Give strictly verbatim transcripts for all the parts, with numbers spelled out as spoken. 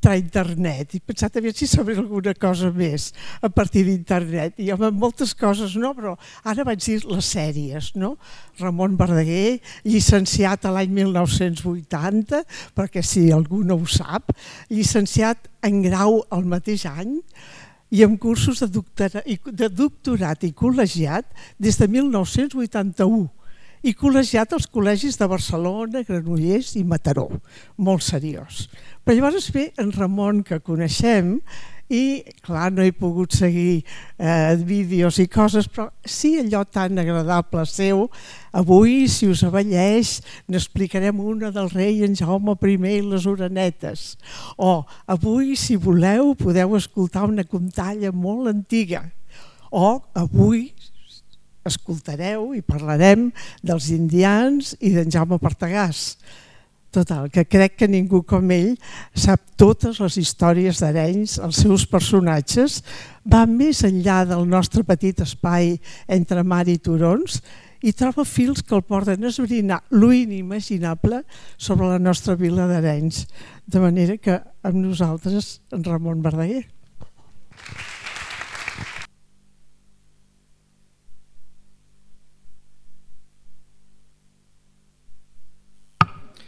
entrar a internet i pensar també si sabria alguna cosa més a partir d'internet. I amb moltes coses no, però ara vaig dir les sèries, no? Ramon Verdaguer, llicenciat a l'any mil nou-cents vuitanta, perquè si algú no ho sap, llicenciat en grau el mateix any, i amb cursos de doctorat, de doctorat i col·legiat des de mil nou-cents vuitanta-u i col·legiat als col·legis de Barcelona, Granollers i Mataró, molt seriós. Però llavors ve en Ramon, que coneixem, i clar, no he pogut seguir eh, vídeos i coses, però sí allò tan agradable seu. Avui, si us avelleix, n'explicarem una del rei en Jaume primer i les orenetes. O avui, si voleu, podeu escoltar una contalla molt antiga. O avui escoltareu i parlarem dels indians i d'en Jaume Partagàs. Total, que crec que ningú com ell sap totes les històries d'Arenys, els seus personatges, va més enllà del nostre petit espai entre mar i turons i troba fils que el porten a esbrinar lo inimaginable sobre la nostra vila d'Arenys. De manera que amb nosaltres, en Ramon Verdaguer.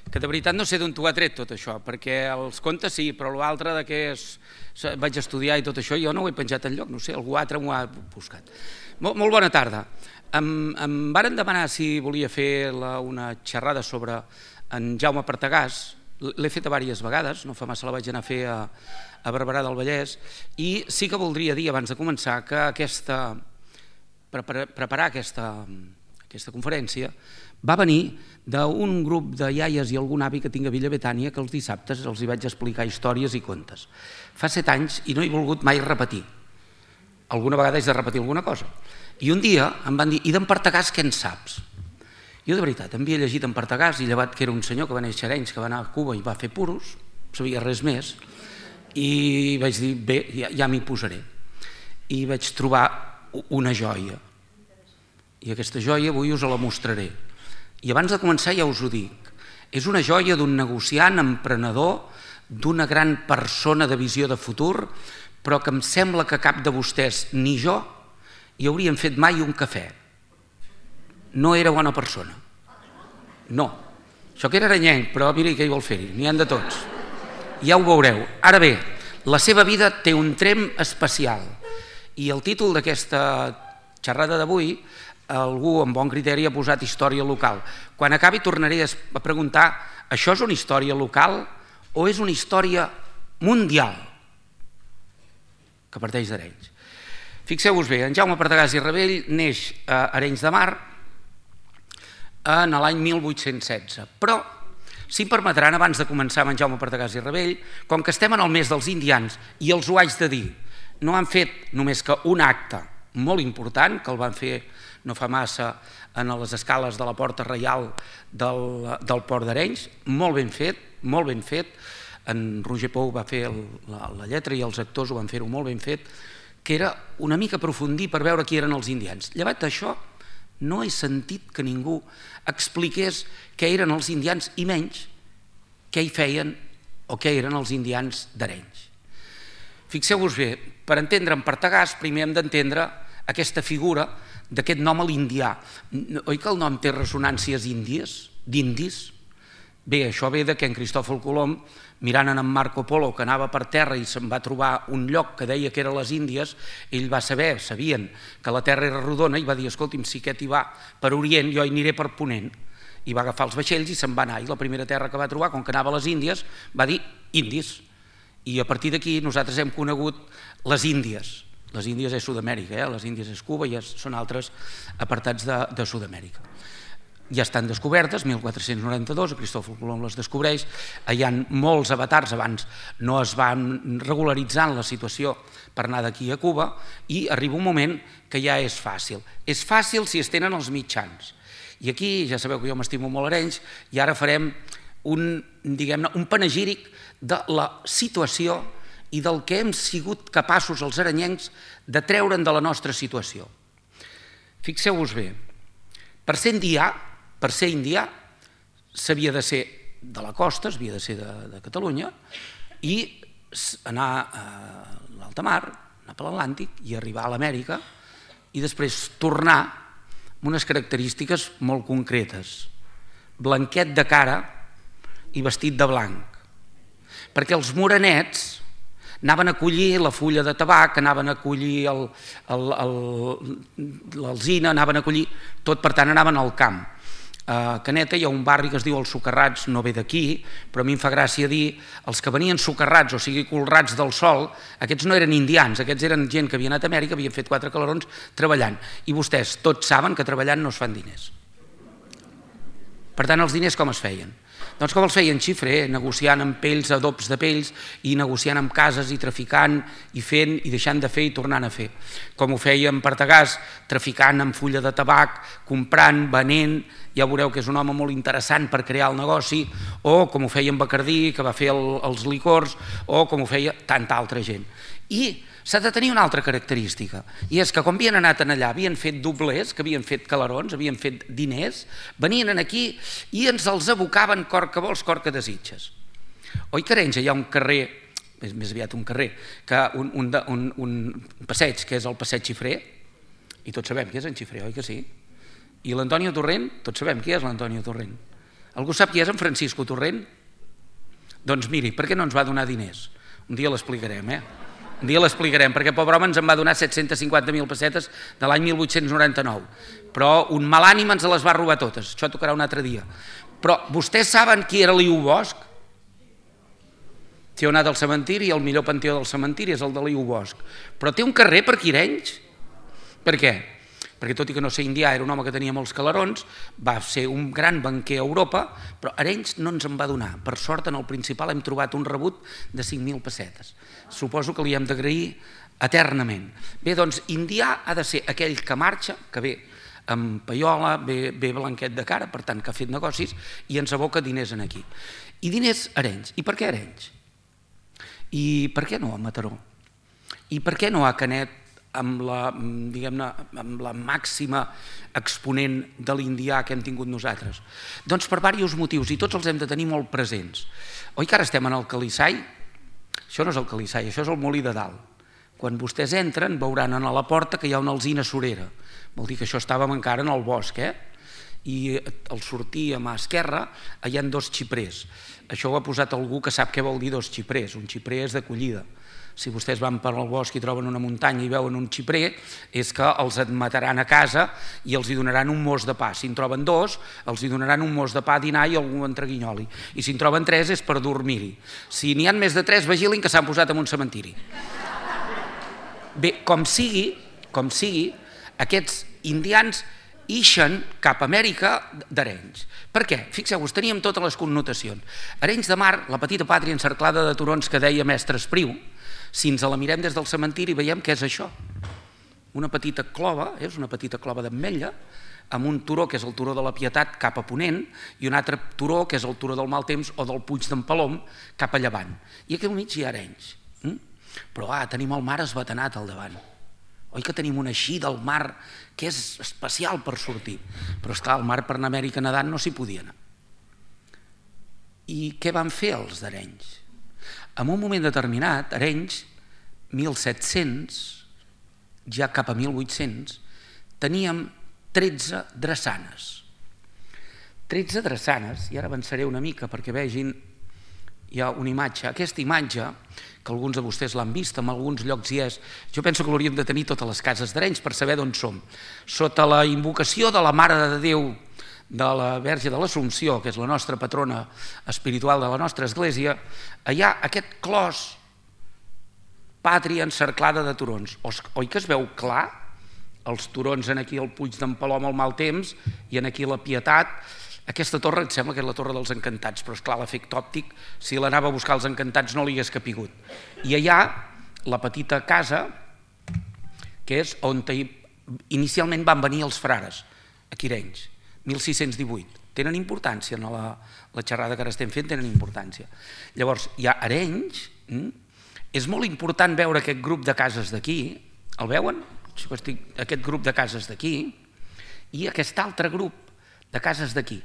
Que de veritat no sé d'on t'ho ha tret tot això, perquè els contes sí, però l'altre de què és, vaig estudiar i tot això, jo no ho he penjat enlloc, no sé, algú altre m'ho ha buscat. Molt, molt bona tarda. Em, em varen demanar si volia fer la, una xerrada sobre en Jaume Partagàs, l'he fet diverses vegades, no fa massa la vaig anar a fer a, a Barberà del Vallès, i sí que voldria dir, abans de començar, que aquesta, prepara, preparar aquesta, aquesta conferència va venir d'un grup de iaies i algun avi que tinc a Villa Betània que els dissabtes els hi vaig explicar històries i contes. Fa set anys i no he volgut mai repetir. Alguna vegada haig de repetir alguna cosa. I un dia em van dir, i d'en Partagàs què en saps? Jo de veritat, em havia llegit en Partagàs i llevat que era un senyor que va néixer a Arenys, que va anar a Cuba i va fer puros, no sabia res més, i vaig dir, bé, ja, ja m'hi posaré. I vaig trobar una joia. I aquesta joia avui us la mostraré. I abans de començar ja us ho dic, és una joia d'un negociant, emprenedor, d'una gran persona de visió de futur, però que em sembla que cap de vostès ni jo hi hauríem fet mai un cafè. No era bona persona. No. Això que era arenyenc, però mira què hi vol fer-hi, n'hi han de tots. Ja ho veureu. Ara bé, la seva vida té un trem especial i el títol d'aquesta xerrada d'avui algú amb bon criteri ha posat història local. Quan acabi tornaré a preguntar, això és una història local o és una història mundial que parteix d'Arenys? Fixeu-vos bé, en Jaume Partagàs i Rebell neix a Arenys de Mar en l'any mil vuit-cents setze. Però, si em permetran, abans de començar amb en Jaume Partagàs i Rebell, com que estem en el mes dels indians i els ho haig de dir, no han fet només que un acte molt important, que el van fer no fa massa en les escales de la Porta Reial del, del Port d'Arenys, molt ben fet, molt ben fet, en Roger Pou va fer el, la, la lletra i els actors ho van fer-ho molt ben fet, que era una mica aprofundir per veure qui eren els indians. Llevat d'això, no he sentit que ningú expliqués què eren els indians i menys què hi feien o què eren els indians d'Arenys. Fixeu-vos bé, per entendre en Partagàs primer hem d'entendre aquesta figura d'aquest nom a l'indià. Oi que el nom té ressonàncies índies, d'indis? Bé, això ve de que en Cristòfol Colom, mirant en Marco Polo, que anava per terra i se'n va trobar un lloc que deia que eren les Índies, ell va saber, sabien que la terra era rodona i va dir, escolti'm, si aquest hi va per Orient, jo hi aniré per Ponent. I va agafar els vaixells i se'n va anar. I la primera terra que va trobar, com que anava a les Índies, va dir Indis. I a partir d'aquí nosaltres hem conegut les Índies. Les Índies és Sud-amèrica, eh? Les Índies és Cuba i són altres apartats de, de Sud-amèrica. Ja estan descobertes, mil quatre-cents noranta-dos, Cristòfol Colom les descobreix, hi ha molts avatars, abans no es van regularitzant la situació per anar d'aquí a Cuba i arriba un moment que ja és fàcil. És fàcil si es tenen els mitjans. I aquí, ja sabeu que jo m'estimo molt Arenys, i ara farem un, diguem-ne, un panegíric de la situació i del que hem sigut capaços els arenyencs de treure'n de la nostra situació. Fixeu-vos bé, per ser indià, per ser indià, s'havia de ser de la costa, s'havia de ser de, de Catalunya, i anar a l'alta mar, anar per l'Atlàntic i arribar a l'Amèrica i després tornar amb unes característiques molt concretes. Blanquet de cara i vestit de blanc. Perquè els morenets anaven a collir la fulla de tabac, anaven a collir l'alzina, anaven a collir tot, per tant anaven al camp. A Caneta hi ha un barri que es diu els Socarrats, no ve d'aquí, però a mi em fa gràcia dir els que venien socarrats, o sigui colrats del sol, aquests no eren indians, aquests eren gent que havia anat a Amèrica, havien fet quatre calarons treballant. I vostès tots saben que treballant no es fan diners. Per tant, els diners com es feien? Doncs com els feien? Xifrer, negociant amb pells, adobs de pells, i negociant amb cases i traficant i fent i deixant de fer i tornant a fer. Com ho feien Partagàs, traficant amb fulla de tabac, comprant, venent, ja veureu que és un home molt interessant per crear el negoci, o com ho feia en Bacardí, que va fer el, els licors, o com ho feia tanta altra gent. I s'ha de tenir una altra característica, i és que quan havien anat allà, havien fet doblers, que havien fet calarons, havien fet diners, venien aquí i ens els abocaven cor que vols, cor que desitges. Oi que a Arenys hi ha un carrer, és més aviat un carrer, que un, un, un, un passeig, que és el passeig Xifrer, i tots sabem qui és en Xifrer, oi que sí? I l'Antonio Torrent, tots sabem qui és l'Antonio Torrent. Algú sap qui és en Francisco Torrent? Doncs miri, per què no ens va donar diners? Un dia l'explicarem, eh? Un dia l'explicarem, perquè pobre home ens en va donar set-cents cinquanta mil pessetes de l'any mil vuit-cents noranta-nou, però un mal ànim ens les va robar totes, això tocarà un altre dia. Però vostès saben qui era Liu Bosch? Si heu anat al cementiri, el millor panteó del cementiri és el de Liu Bosch, però té un carrer per aquí a Arenys. Per què? Perquè tot i que no ser indià, era un home que tenia molts calarons, va ser un gran banquer a Europa, però Arenys no ens en va donar. Per sort, en el principal hem trobat un rebut de cinc mil pessetes. Suposo que li hem d'agrair eternament. Bé, doncs, indià ha de ser aquell que marxa, que ve amb paiola, ve, ve blanquet de cara, per tant, que ha fet negocis, i ens aboca diners en aquí. I diners a Arenys. I per què a Arenys? I per què no a Mataró? I per què no a Canet, amb la, diguem-ne, amb la màxima exponent de l'indià que hem tingut nosaltres? Doncs per diversos motius, i tots els hem de tenir molt presents. Oi que ara estem en el Calissai? Això no és el Calissai, això és el Molí de Dalt. Quan vostès entren veuran a la porta que hi ha una alzina surera. Vol dir que això estàvem encara en el bosc, eh? I al sortir a mà esquerra hi ha dos xiprers. Això ho ha posat algú que sap què vol dir dos xiprers. Un xiprer és d'acollida. Si vostès van per al bosc i troben una muntanya i veuen un xiprer, és que els admetaran a casa i els hi donaran un mos de pa. Si en troben dos, els hi donaran un mos de pa a dinar i algú entreguinyoli. I si en troben tres és per dormir-hi. Si n'hi ha més de tres, vigilin que s'han posat en un cementiri. Bé, com sigui, com sigui, aquests indians ixen cap a Amèrica d'Arenys. Per què? Fixeu-vos, teníem totes les connotacions. Arenys de Mar, la petita pàtria encerclada de turons que deia mestre Espriu, si ens la mirem des del cementiri veiem què és això. Una petita clova, és una petita clova d'ametlla, amb un turó que és el turó de la Pietat cap a Ponent i un altre turó que és el turó del Maltemps o del Puig d'en Palom cap a Llevant. I aquí al mig hi ha Arenys. Però ah, tenim el mar esbatanat al davant. Oi que tenim una així del mar que és especial per sortir? Però esclar, el mar per anar a Amèrica nedant no s'hi podia anar. I què van fer els d'Arenys? En un moment determinat, Arenys, mil set-cents, ja cap a mil vuit-cents, teníem tretze drassanes. tretze drassanes, i ara avançaré una mica perquè vegin, hi ha una imatge. Aquesta imatge, que alguns de vostès l'han vist, en alguns llocs hi és, jo penso que l'hauríem de tenir totes les cases d'Arenys per saber d'on som. Sota la invocació de la Mare de Déu de la Verge de l'Assumpció, que és la nostra patrona espiritual de la nostra església, hi ha aquest clos pàtria encerclada de turons. Oi que es veu clar? Els turons en aquí al Puig d'en Palom al Maltemps i en aquí la Pietat. Aquesta torre em sembla que és la Torre dels Encantats, però esclar, l'efecte òptic, si l'anava a buscar els Encantats no li hagués capigut. I allà la petita casa, que és on inicialment van venir els frares, aquí a Arenys, mil sis-cents divuit. Tenen importància, en la, la xerrada que ara estem fent tenen importància. Llavors, hi ha Arenys, hm? És molt important veure aquest grup de cases d'aquí, el veuen? Aquest grup de cases d'aquí i aquest altre grup de cases d'aquí.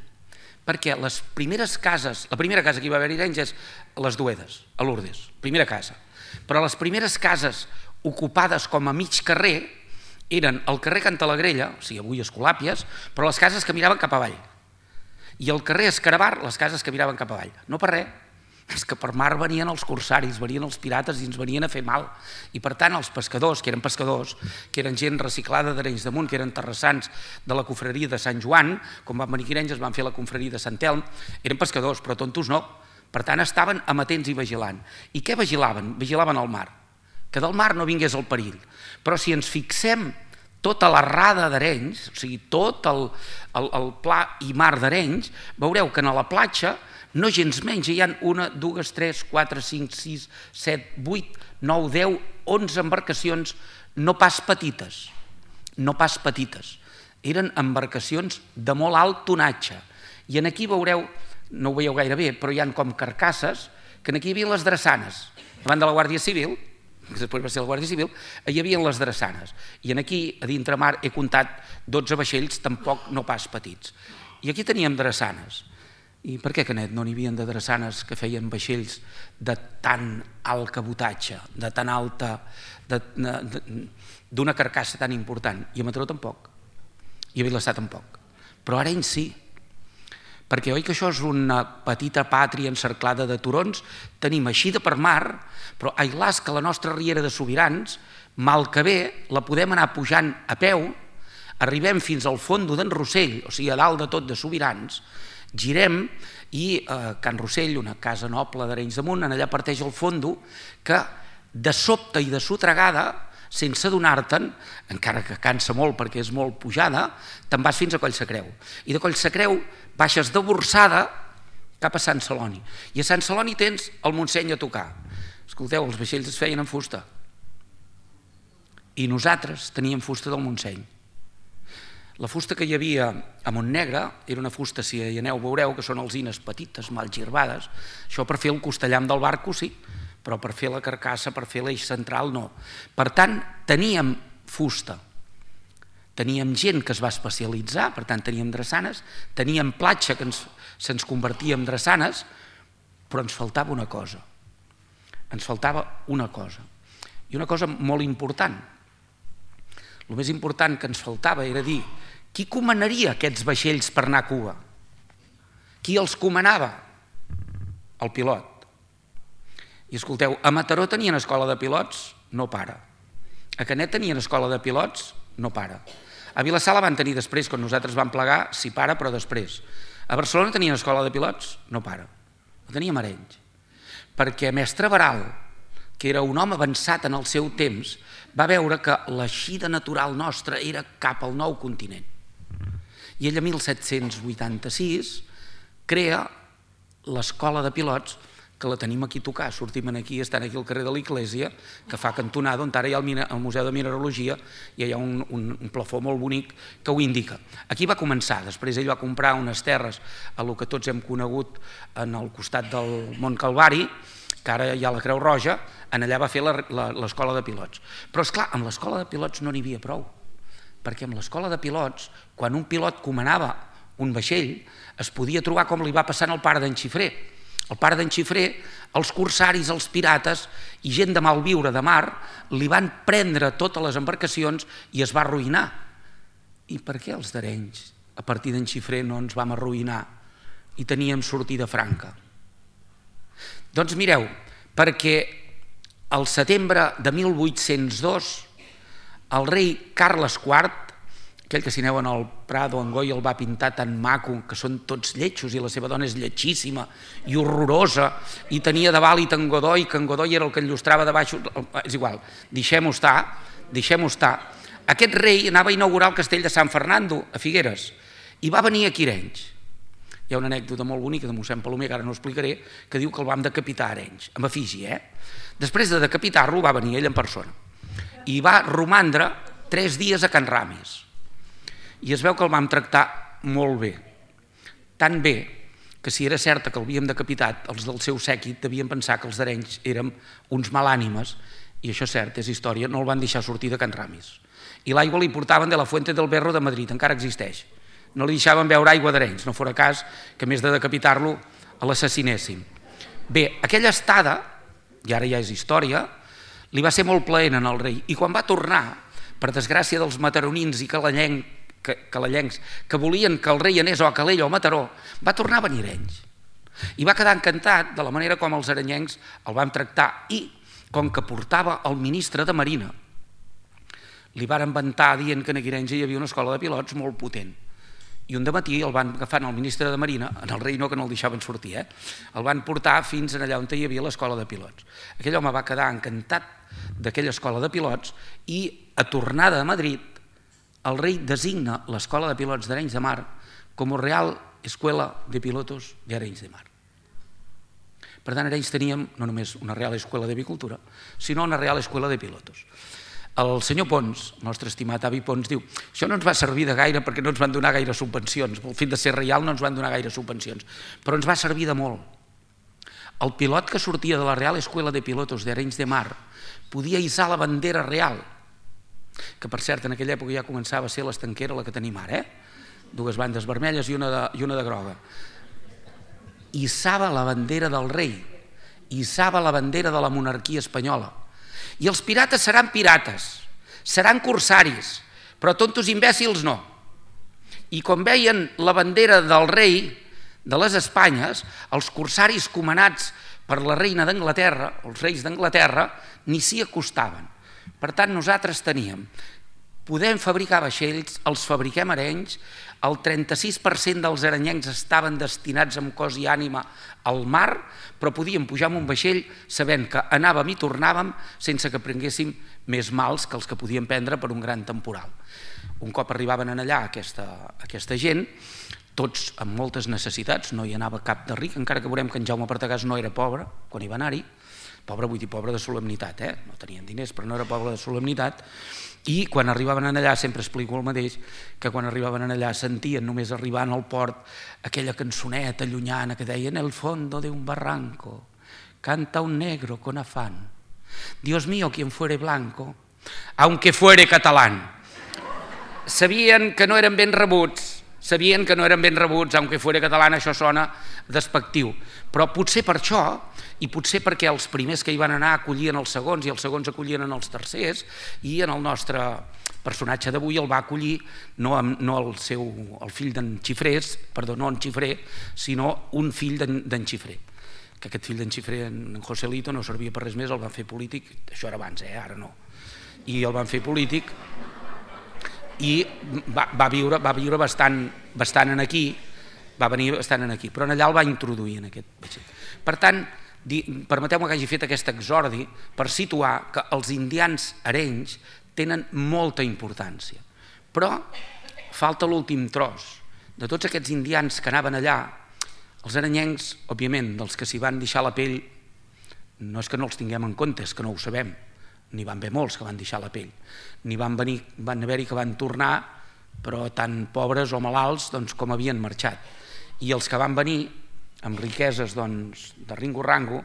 perquè les primeres cases, la primera casa que hi va haver a Arenys és les Duedes, a Lourdes, primera casa. Però les primeres cases ocupades com a mig carrer eren el carrer Cantalagrella, o sigui, avui Escolàpies, però les cases que miraven cap avall. I el carrer Escarabar, les cases que miraven cap avall. No per res, és que per mar venien els corsaris, venien els pirates i ens venien a fer mal. I per tant els pescadors, que eren pescadors, que eren gent reciclada d'Arenys de Munt, que eren terrassans de la confraria de Sant Joan, com van venir Arenys, es van fer la confraria de Sant Elm, eren pescadors, però tontos no. Per tant estaven amatents i vigilant. I què vigilaven? Vigilaven el mar. Que del mar no vingués el perill. Però si ens fixem tota la rada d'Arenys, o sigui, tot el, el, el pla i mar d'Arenys, veureu que a la platja no gens menys, hi ha una, dues, tres, quatre, cinc, sis, set, vuit, nou, deu, onze embarcacions no pas petites, no pas petites. Eren embarcacions de molt alt tonatge. I aquí veureu, no ho veieu gaire bé, però hi ha com carcasses, que aquí hi havia les drassanes. Davant de la Guàrdia Civil, que després va ser la Guàrdia Civil, hi havia les drassanes. I aquí, a dintre mar, he comptat dotze vaixells, tampoc no pas petits. I aquí teníem drassanes. I per què, Canet, no n'hi havia de drassanes que feien vaixells de tan alt cabotatge, de tan alta, d'una carcassa tan important? I a Mataró tampoc, i a Vilassar tampoc. Però a Arenys sí, perquè oi que això és una petita pàtria encerclada de turons? Tenim eixida per mar, però ai las que la nostra riera de Sobirans, mal que bé, la podem anar pujant a peu, arribem fins al fondo d'en Rossell, o sigui, a dalt de tot de Sobirans, girem i a Can Rossell, una casa noble d'Arenys de Munt, allà parteix el fondo que de sobte i de sotregada, sense adonar-te'n, encara que cansa molt perquè és molt pujada, te'n vas fins a Collsacreu. I de Collsacreu baixes de Borçada cap a Sant Celoni. I a Sant Celoni tens el Montseny a tocar. Escolteu, els vaixells es feien en fusta. I nosaltres teníem fusta del Montseny. La fusta que hi havia a Montnegre era una fusta, si hi aneu veureu, que són alzines petites, mal girbades. Això per fer el costellam del barco sí, però per fer la carcassa, per fer l'eix central no. Per tant, teníem fusta. Teníem gent que es va especialitzar, per tant teníem drassanes, teníem platja que ens, se'ns convertia en drassanes, però ens faltava una cosa. Ens faltava una cosa. I una cosa molt important. El més important que ens faltava era dir qui comanaria aquests vaixells per anar a Cuba? Qui els comanava? El pilot. I escolteu, a Mataró tenien escola de pilots? No para. A Canet tenien escola de pilots? No para. A Vilassar la van tenir després, quan nosaltres vam plegar, sí para, però després. A Barcelona tenien escola de pilots? No para. La teníem a Arenys. Perquè mestre Baral, que era un home avançat en el seu temps, va veure que l'eixida natural nostra era cap al nou continent. I ell, a mil set-cents vuitanta-sis, crea l'escola de pilots, que la tenim aquí a tocar, sortim aquí, estan aquí al carrer de l'Església, que fa cantonada, on ara hi ha el Museu de Mineralogia, i hi ha un, un, un plafó molt bonic que ho indica. Aquí va començar, després ell va comprar unes terres a lo que tots hem conegut en el costat del Mont Calvari, que ara hi ha la Creu Roja, en allà va fer l'escola de pilots. Però, esclar, amb l'escola de pilots no n'hi havia prou, perquè amb l'escola de pilots, quan un pilot comanava un vaixell, es podia trobar com li va passar al pare d'en Xifré. El pare d'en Xifré, els corsaris, els pirates i gent de malviure de mar li van prendre totes les embarcacions i es va arruïnar. I per què els d'Arenys, a partir d'en Xifré, no ens vam arruïnar i teníem sortida franca? Doncs mireu, perquè al setembre de mil vuit-cents dos el rei Carles quart, aquell que si aneu en el Prado, en Goya el va pintar tan maco, que són tots lletjos i la seva dona és lletjíssima i horrorosa, i tenia de vàlit en Godoy, que en Godoy era el que enllustrava de baix, és igual, deixem-ho estar, deixem-ho estar. Aquest rei anava a inaugurar el castell de Sant Fernando, a Figueres, i va venir aquí a Arenys. Hi ha una anècdota molt bonica de mossèn Palomer, que ara no explicaré, que diu que el vam decapitar a Arenys, amb efígie, eh? Després de decapitar-lo va venir ell en persona i va romandre tres dies a Can Ramis. I es veu que el vam tractar molt bé, tan bé que si era certa que l'havíem decapitat, els del seu sèquit devien pensar que els d'Arenys érem uns malànimes, i això és cert, és història, no el van deixar sortir de Can Ramis. I l'aigua li portaven de la Fuente del Berro de Madrid, encara existeix. no li deixaven veure aigua d'Arenys, no fora cas que més de decapitar-lo l'assassinéssim. Bé, aquella estada, i ara ja és història, li va ser molt plaent al rei, i quan va tornar, per desgràcia dels mataronins i calallencs que, calallencs que volien que el rei anés o a Calella o a Mataró, va tornar a venir a Arenys. I va quedar encantat de la manera com els arenyencs el van tractar, i com que portava el ministre de Marina, li van inventar dient que en Arenys hi havia una escola de pilots molt potent. I un dematí el van agafar el ministre de Marina, en el rei no, que no el deixaven sortir, eh? el van portar fins allà on hi havia l'escola de pilots. Aquell home va quedar encantat d'aquella escola de pilots i a tornada a Madrid el rei designa l'escola de pilots d'Arenys de Mar com a Real Escuela de Pilotos de Arenys de Mar. Per tant, a Arenys teníem no només una Real Escuela de Avicultura, sinó una Real Escuela de Pilotos. El senyor Pons, el nostre estimat avi Pons, diu això no ens va servir de gaire perquè no ens van donar gaire subvencions, pel fet de ser reial no ens van donar gaire subvencions, però ens va servir de molt. El pilot que sortia de la Real Escuela de Pilotos d'Arenys de Mar podia hissar la bandera real, que per cert en aquella època ja començava a ser l'estanquera la que tenim ara, eh? dues bandes vermelles i una de, i una de groga. Hissava la bandera del rei, hissava la bandera de la monarquia espanyola. I els pirates seran pirates, seran corsaris, però tontos imbècils no. I quan veien la bandera del rei de les Espanyes, els corsaris comandats per la reina d'Anglaterra, els reis d'Anglaterra, ni s'hi acostaven. Per tant, nosaltres teníem, podem fabricar vaixells, els fabriquem a Arenys, el trenta-sis per cent dels arenyencs estaven destinats amb cos i ànima al mar, però podíem pujar amb un vaixell sabent que anàvem i tornàvem sense que prenguéssim més mals que els que podíem prendre per un gran temporal. Un cop arribaven allà aquesta, aquesta gent, tots amb moltes necessitats, no hi anava cap de ric, encara que veurem que en Jaume Partagàs no era pobre quan hi va anar-hi, pobre vull dir pobre de solemnitat, eh? no tenien diners però no era pobre de solemnitat, i quan arribaven allà, sempre explico el mateix, que quan arribaven allà sentien només arribant al port aquella cançoneta llunyana que deia en el fondo de un barranco canta un negro con afán, Dios mío, quien fuere blanco, aunque fuere catalán. Sabien que no eren ben rebuts, sabien que no eren ben rebuts, aunque fuera català, això sona despectiu, però potser per això, i potser perquè els primers que hi van anar acollien els segons i els segons acollien els tercers, i en el nostre personatge d'avui el va acollir no, no el, seu, el fill d'en Xifrés, perdó, no en Xifré, sinó un fill d'en Xifré, que aquest fill d'en Xifré, en Joselito, no servia per res més, el van fer polític, això era abans, eh? ara no, i el van fer polític, i va, va viure, va viure bastant, bastant en aquí, va venir bastant en aquí, però allà el va introduir en aquest vaixell. Per tant, permeteu-me que hagi fet aquest exordi per situar que els indians arenys tenen molta importància, però falta l'últim tros. De tots aquests indians que anaven allà, els arenyencs, òbviament, dels que s'hi van deixar la pell, no és que no els tinguem en compte, és que no ho sabem, n'hi van haver molts que van deixar la pell, n'hi van venir, van haver-hi que van tornar, però tan pobres o malalts doncs, com havien marxat. I els que van venir amb riqueses doncs, de ringo-rango,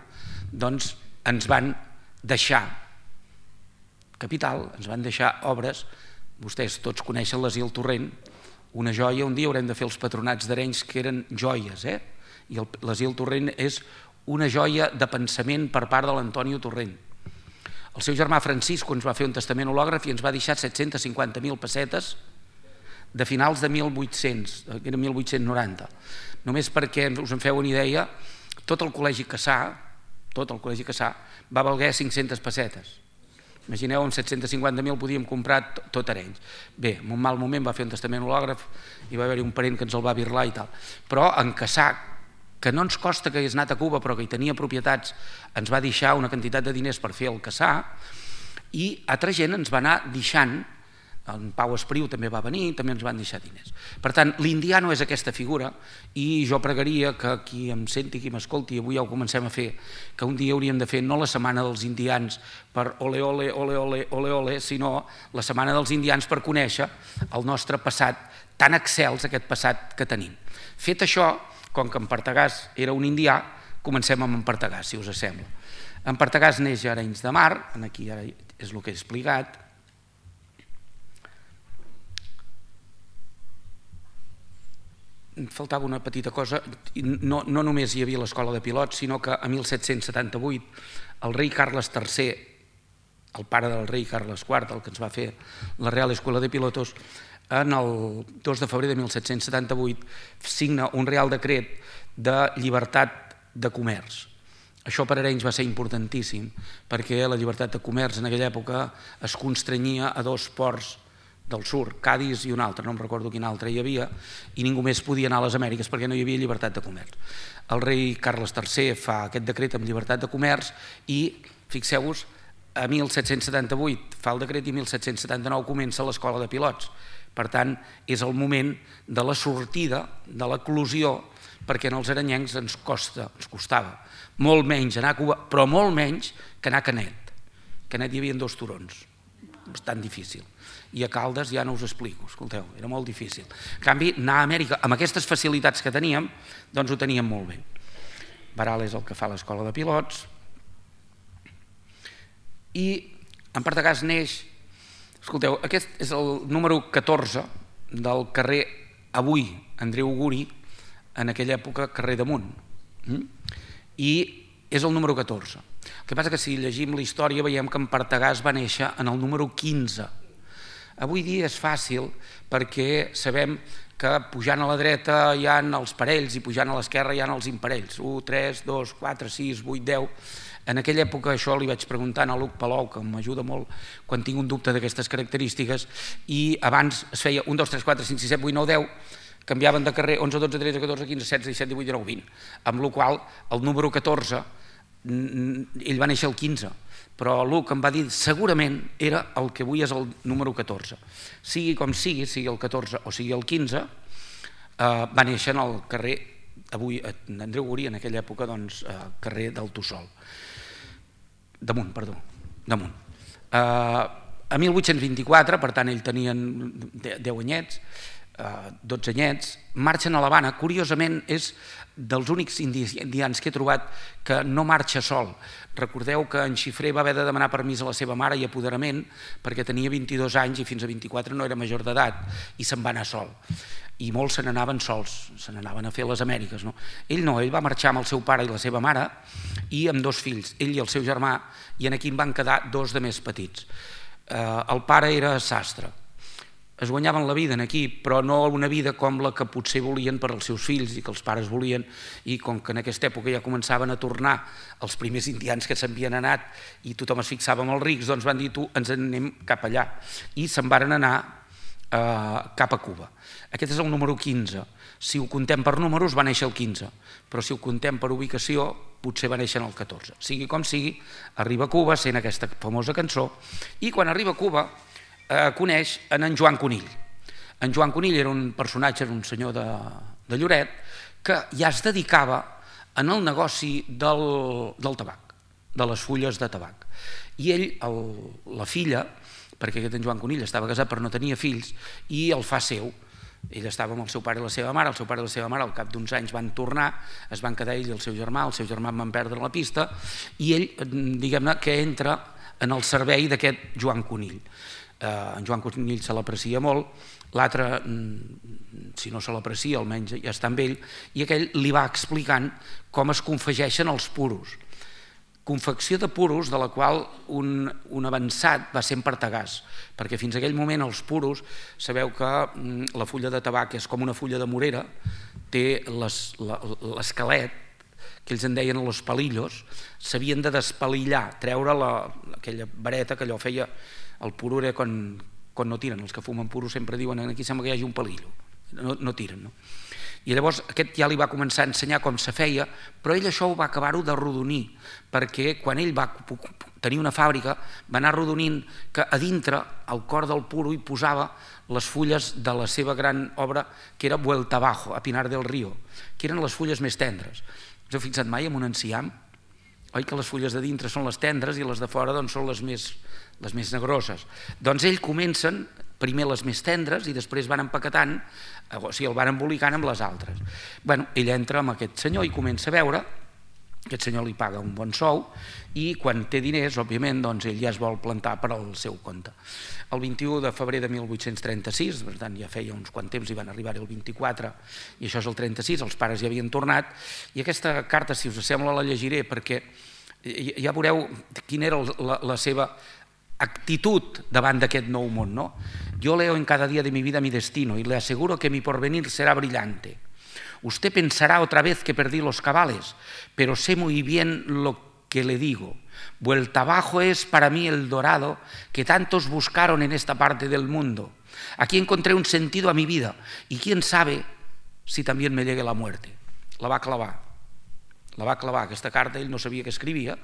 doncs ens van deixar capital, ens van deixar obres. Vostès tots coneixen l'Asil Torrent, una joia. Un dia haurem de fer els patronats d'Arenys que eren joies, eh? I l'Asil Torrent és una joia de pensament per part de l'Antonio Torrent. El seu germà Francisco ens va fer un testament hològraf i ens va deixar set-cents cinquanta mil pessetes de finals de mil vuit-cents, era mil vuit-cents noranta. Només perquè us en feu una idea, tot el col·legi Cassà, tot el col·legi Cassà va valer cinc-centes pessetes. Imagineu, amb set-cents cinquanta mil podíem comprar tot Arenys. Bé, en un mal moment va fer un testament hològraf i va haver-hi un parent que ens el va birlar i tal. Però en Cassà, que no ens costa que hagués anat a Cuba però que hi tenia propietats, ens va deixar una quantitat de diners per fer el Cassà, i altra gent ens va anar deixant, en Pau Espriu també va venir, també ens van deixar diners. Per tant, l'indià no és aquesta figura, i jo pregaria que qui em senti, qui m'escolti, avui ja ho comencem a fer, que un dia hauríem de fer no la setmana dels indians per ole, ole, ole, ole, ole, ole, sinó la setmana dels indians per conèixer el nostre passat, tan excels aquest passat que tenim. Fet això, com que en Partagàs era un indià, comencem amb en Partagàs, si us sembla. En Partagàs neix a Arenys de Mar, aquí ara és el que he explicat. faltava una petita cosa, no, no només hi havia l'escola de pilots, sinó que a mil set-cents setanta-vuit el rei Carles tercer, el pare del rei Carles quart, el que ens va fer la Real Escuela de Pilotos, en el dos de febrer de mil set-cents setanta-vuit signa un Real Decret de llibertat de comerç. Això per Arenys va ser importantíssim, perquè la llibertat de comerç en aquella època es constrenyia a dos ports del sud, Cadis i un altre, no em recordo quin altre hi havia, i ningú més podia anar a les Amèriques perquè no hi havia llibertat de comerç. El rei Carles tercer fa aquest decret amb llibertat de comerç i, fixeu-vos, a mil set-cents setanta-vuit fa el decret i mil set-cents setanta-nou comença l'escola de pilots. Per tant, és el moment de la sortida, de l'eclosió, perquè en els arenyencs ens costa, ens costava molt menys anar a Cuba, però molt menys que anar a Canet. A Canet hi havia dos turons, bastant difícil. I a Caldes ja no us explico, escolteu, era molt difícil. En canvi, anar a Amèrica, amb aquestes facilitats que teníem, doncs ho teníem molt bé. Baral és el que fa l'escola de pilots, i en Partagàs neix, escolteu, aquest és el número catorze del carrer, avui, Andreu Guri, en aquella època, carrer d'Amunt. I és el número catorze. El que passa que si llegim la història veiem que en Partagàs va néixer en el número quinze. Avui dia és fàcil perquè sabem que pujant a la dreta hi ha els parells i pujant a l'esquerra hi ha els imparells, u, tres, dos, quatre, sis, vuit, deu. En aquella època això li vaig preguntar a Luc Palou, que m'ajuda molt quan tinc un dubte d'aquestes característiques, i abans es feia un, dos, tres, quatre, cinc, sis, set, vuit, nou, deu, canviaven de carrer onze, dotze, tretze, catorze, quinze, setze, disset, divuit, dinou, vint, amb la qual cosa el número catorze, ell va néixer el quinze, però Luc em va dir segurament era el que avui és el número catorze. Sigui com sigui, sigui el catorze o sigui el quinze, va néixer en el carrer, avui Andreu Guri, en aquella època, doncs, carrer del Tossol. Damunt, perdó, damunt. A mil vuit-cents vint-i-quatre, per tant, ell tenia deu anyets, dotze anyets, marxen a l'Havana. Curiosament, és dels únics indians que he trobat que no marxa sol. Recordeu que en Xifré va haver de demanar permís a la seva mare i apoderament perquè tenia vint-i-dos anys i fins a vint-i-quatre no era major d'edat i se'n va anar sol. I molts se n'anaven sols, se n'anaven a fer les Amèriques. Ell no, ell va marxar amb el seu pare i la seva mare i amb dos fills, ell i el seu germà, i aquí en van quedar dos de més petits. El pare era sastre. Es guanyaven la vida aquí, però no una vida com la que potser volien per als seus fills i que els pares volien, i com que en aquesta època ja començaven a tornar els primers indians que s'havien anat i tothom es fixava en els rics, doncs van dir tu, ens en anem cap allà, i se'n varen anar cap a Cuba. Aquest és el número quinze. Si ho contem per números va néixer el quinze, però si ho contem per ubicació potser va néixer en el catorze. Sigui com sigui, arriba a Cuba sent aquesta famosa cançó, i quan arriba a Cuba coneix en Joan Conill. En Joan Conill era un personatge, era un senyor de Lloret, que ja es dedicava en el negoci del tabac, de les fulles de tabac. I ell, la filla, perquè aquest en Joan Conill estava casat però no tenia fills, i el fa seu. Ell estava amb el seu pare i la seva mare, el seu pare i la seva mare al cap d'uns anys van tornar, es van quedar ell i el seu germà, el seu germà van perdre la pista, i ell, diguem-ne, que entra en el servei d'aquest Joan Conill. En Joan Conill se l'aprecia molt, l'altre, si no se l'aprecia, almenys ja està amb ell, i aquell li va explicant com es confegeixen els puros. Confecció de puros de la qual un avançat va ser en Partagàs, perquè fins aquell moment els puros, sabeu que la fulla de tabac és com una fulla de morera, té l'esquelet, que ells en deien los palillos, s'havien de despalillar, treure aquella vareta que allò feia. El puro era quan no tiren, els que fumen puro sempre diuen aquí sembla que hi hagi un palillo, no tiren. I llavors aquest ja li va començar a ensenyar com se feia, però ell això ho va acabar-ho d'arrodonir, perquè quan ell va tenir una fàbrica va anar arrodonint que a dintre, al cor del puro, hi posava les fulles de la seva gran obra que era Vuelta Abajo, a Pinar del Río, que eren les fulles més tendres. Us heu fixat mai en un enciam? Oi que les fulles de dintre són les tendres i les de fora són les més les més negroses. Doncs ells comencen primer les més tendres i després van empaquetant, o sigui, el van embolicant amb les altres. Bé, ell entra amb aquest senyor i comença a veure aquest senyor li paga un bon sou i quan té diners, òbviament, doncs ell ja es vol plantar per al seu compte. El vint-i-u de febrer de mil vuit-cents trenta-sis, per tant ja feia uns quants temps, i van arribar el vint-i-quatre, i això és el trenta-sis, els pares ja havien tornat, i aquesta carta, si us sembla, la llegiré, perquè ja veureu quina era la, la seva actitud davant d'aquest nou món, ¿no? Yo leo en cada día de mi vida mi destino y le aseguro que mi porvenir será brillante. Usted pensará otra vez que perdí los cabales, pero sé muy bien lo que le digo. Vuelta abajo es para mí el dorado que tantos buscaron en esta parte del mundo. Aquí encontré un sentido a mi vida y quién sabe si también me llegue la muerte. La va clavar. La va clavar. Aquesta carta ell no sabia què escrivia,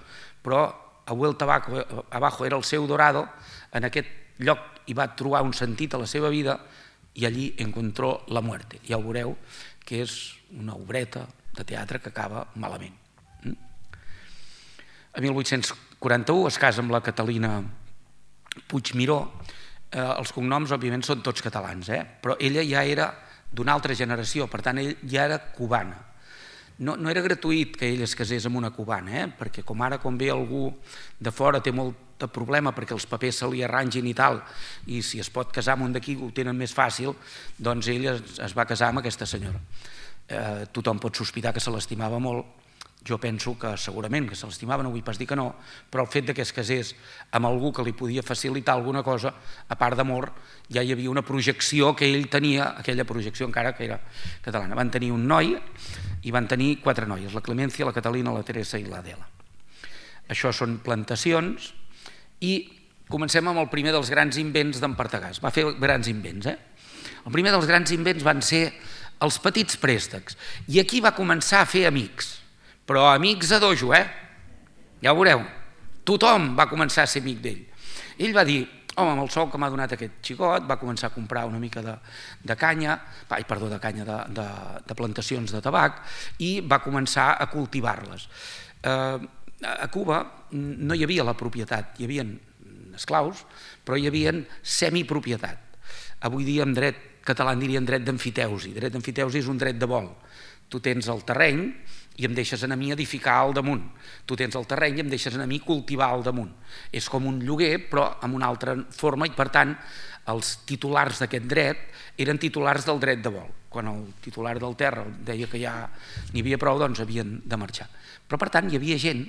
però a Vuelta abajo era el seu dorado, en aquest lloc hi va trobar un sentit a la seva vida i allí encontró la muerte. Ja ho veureu que és una obreta de teatre que acaba malament. A mil vuit-cents quaranta-u es casa amb la Catalina Puigmiró. Eh, els cognoms, òbviament, són tots catalans, eh? Però ella ja era d'una altra generació, per tant, ell ja era cubana. No, no era gratuït que ell es casés amb una cubana, eh? Perquè com ara, quan ve algú de fora, té molt de problema perquè els papers se li arrangin i tal, i si es pot casar amb un d'aquí ho tenen més fàcil, doncs ell es, es va casar amb aquesta senyora. Eh, tothom pot sospitar que se l'estimava molt, jo penso que segurament que se l'estimava, no vull pas dir que no, però el fet que es casés amb algú que li podia facilitar alguna cosa, a part d'amor, ja hi havia una projecció que ell tenia, aquella projecció encara que era catalana. Van tenir un noi i van tenir quatre noies, la Clemència, la Catalina, la Teresa i l'Adela. Això són plantacions i comencem amb el primer dels grans invents d'en Partagàs. Va fer grans invents, eh? El primer dels grans invents van ser els petits préstecs i aquí va començar a fer amics. Però amics a dojo, eh? Ja ho veureu. Tothom va començar a ser amic d'ell. Ell va dir, home, amb el sou que m'ha donat aquest xicot, va començar a comprar una mica de, de canya, ai, perdó, de canya, de, de, de plantacions de tabac, i va començar a cultivar-les. Eh, a Cuba no hi havia la propietat, hi havia esclaus, però hi havia semipropietat. Avui dia en dret català en dirien dret d'emfiteusi. Dret d'emfiteusi és un dret de vol. Tu tens el terreny i em deixes a mi edificar al damunt. Tu tens el terreny i em deixes a mi cultivar al damunt. És com un lloguer, però amb una altra forma, i per tant els titulars d'aquest dret eren titulars del dret de vol. Quan el titular del terra deia que ja n'hi havia prou, doncs havien de marxar. Però per tant hi havia gent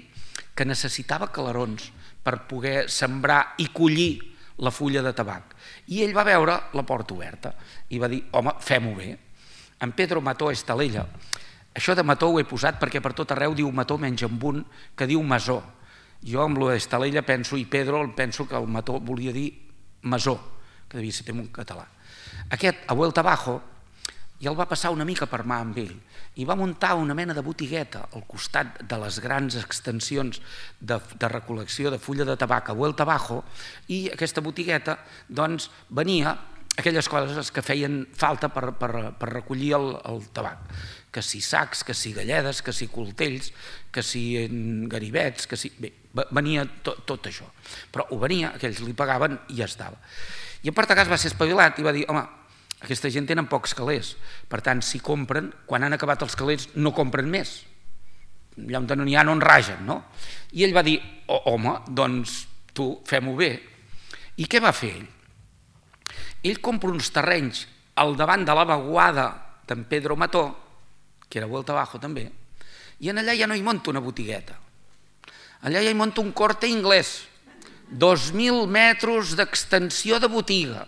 que necessitava calarons per poder sembrar i collir la fulla de tabac. I ell va veure la porta oberta i va dir, home, fem-ho bé. En Pedro Mató Estalella, això de Mató ho he posat perquè per tot arreu diu Mató menys amb un que diu Masó. Jo amb lo d'Estalella penso, i Pedro penso que el Mató volia dir Masó, que devia ser un català. Aquest, a Vuelta abajo, ja el va passar una mica per mà amb ell i va muntar una mena de botigueta al costat de les grans extensions de, de recol·lecció de fulla de tabac a Vuelta abajo, i aquesta botigueta doncs venia aquelles coses que feien falta per, per, per recollir el, el tabac, que si sacs, que si galledes, que si coltells, que si ganivets, que si... Bé, venia tot, tot això, però ho venia, aquells li pagaven i ja estava. I en Partagàs va ser espavilat i va dir, home, aquesta gent tenen pocs calés, per tant, si compren, quan han acabat els calés no compren més, allà on no n'hi ha no en ragen, no? I ell va dir, oh, home, doncs tu, fem-ho bé. I què va fer ell? Ell compra uns terrenys al davant de la vaguada d'en Pedro Mató, que era Vuelta abajo també, i en allà ja no hi monta una botigueta. Allà ja hi monta un Corte Inglés, dos mil metres d'extensió de botiga.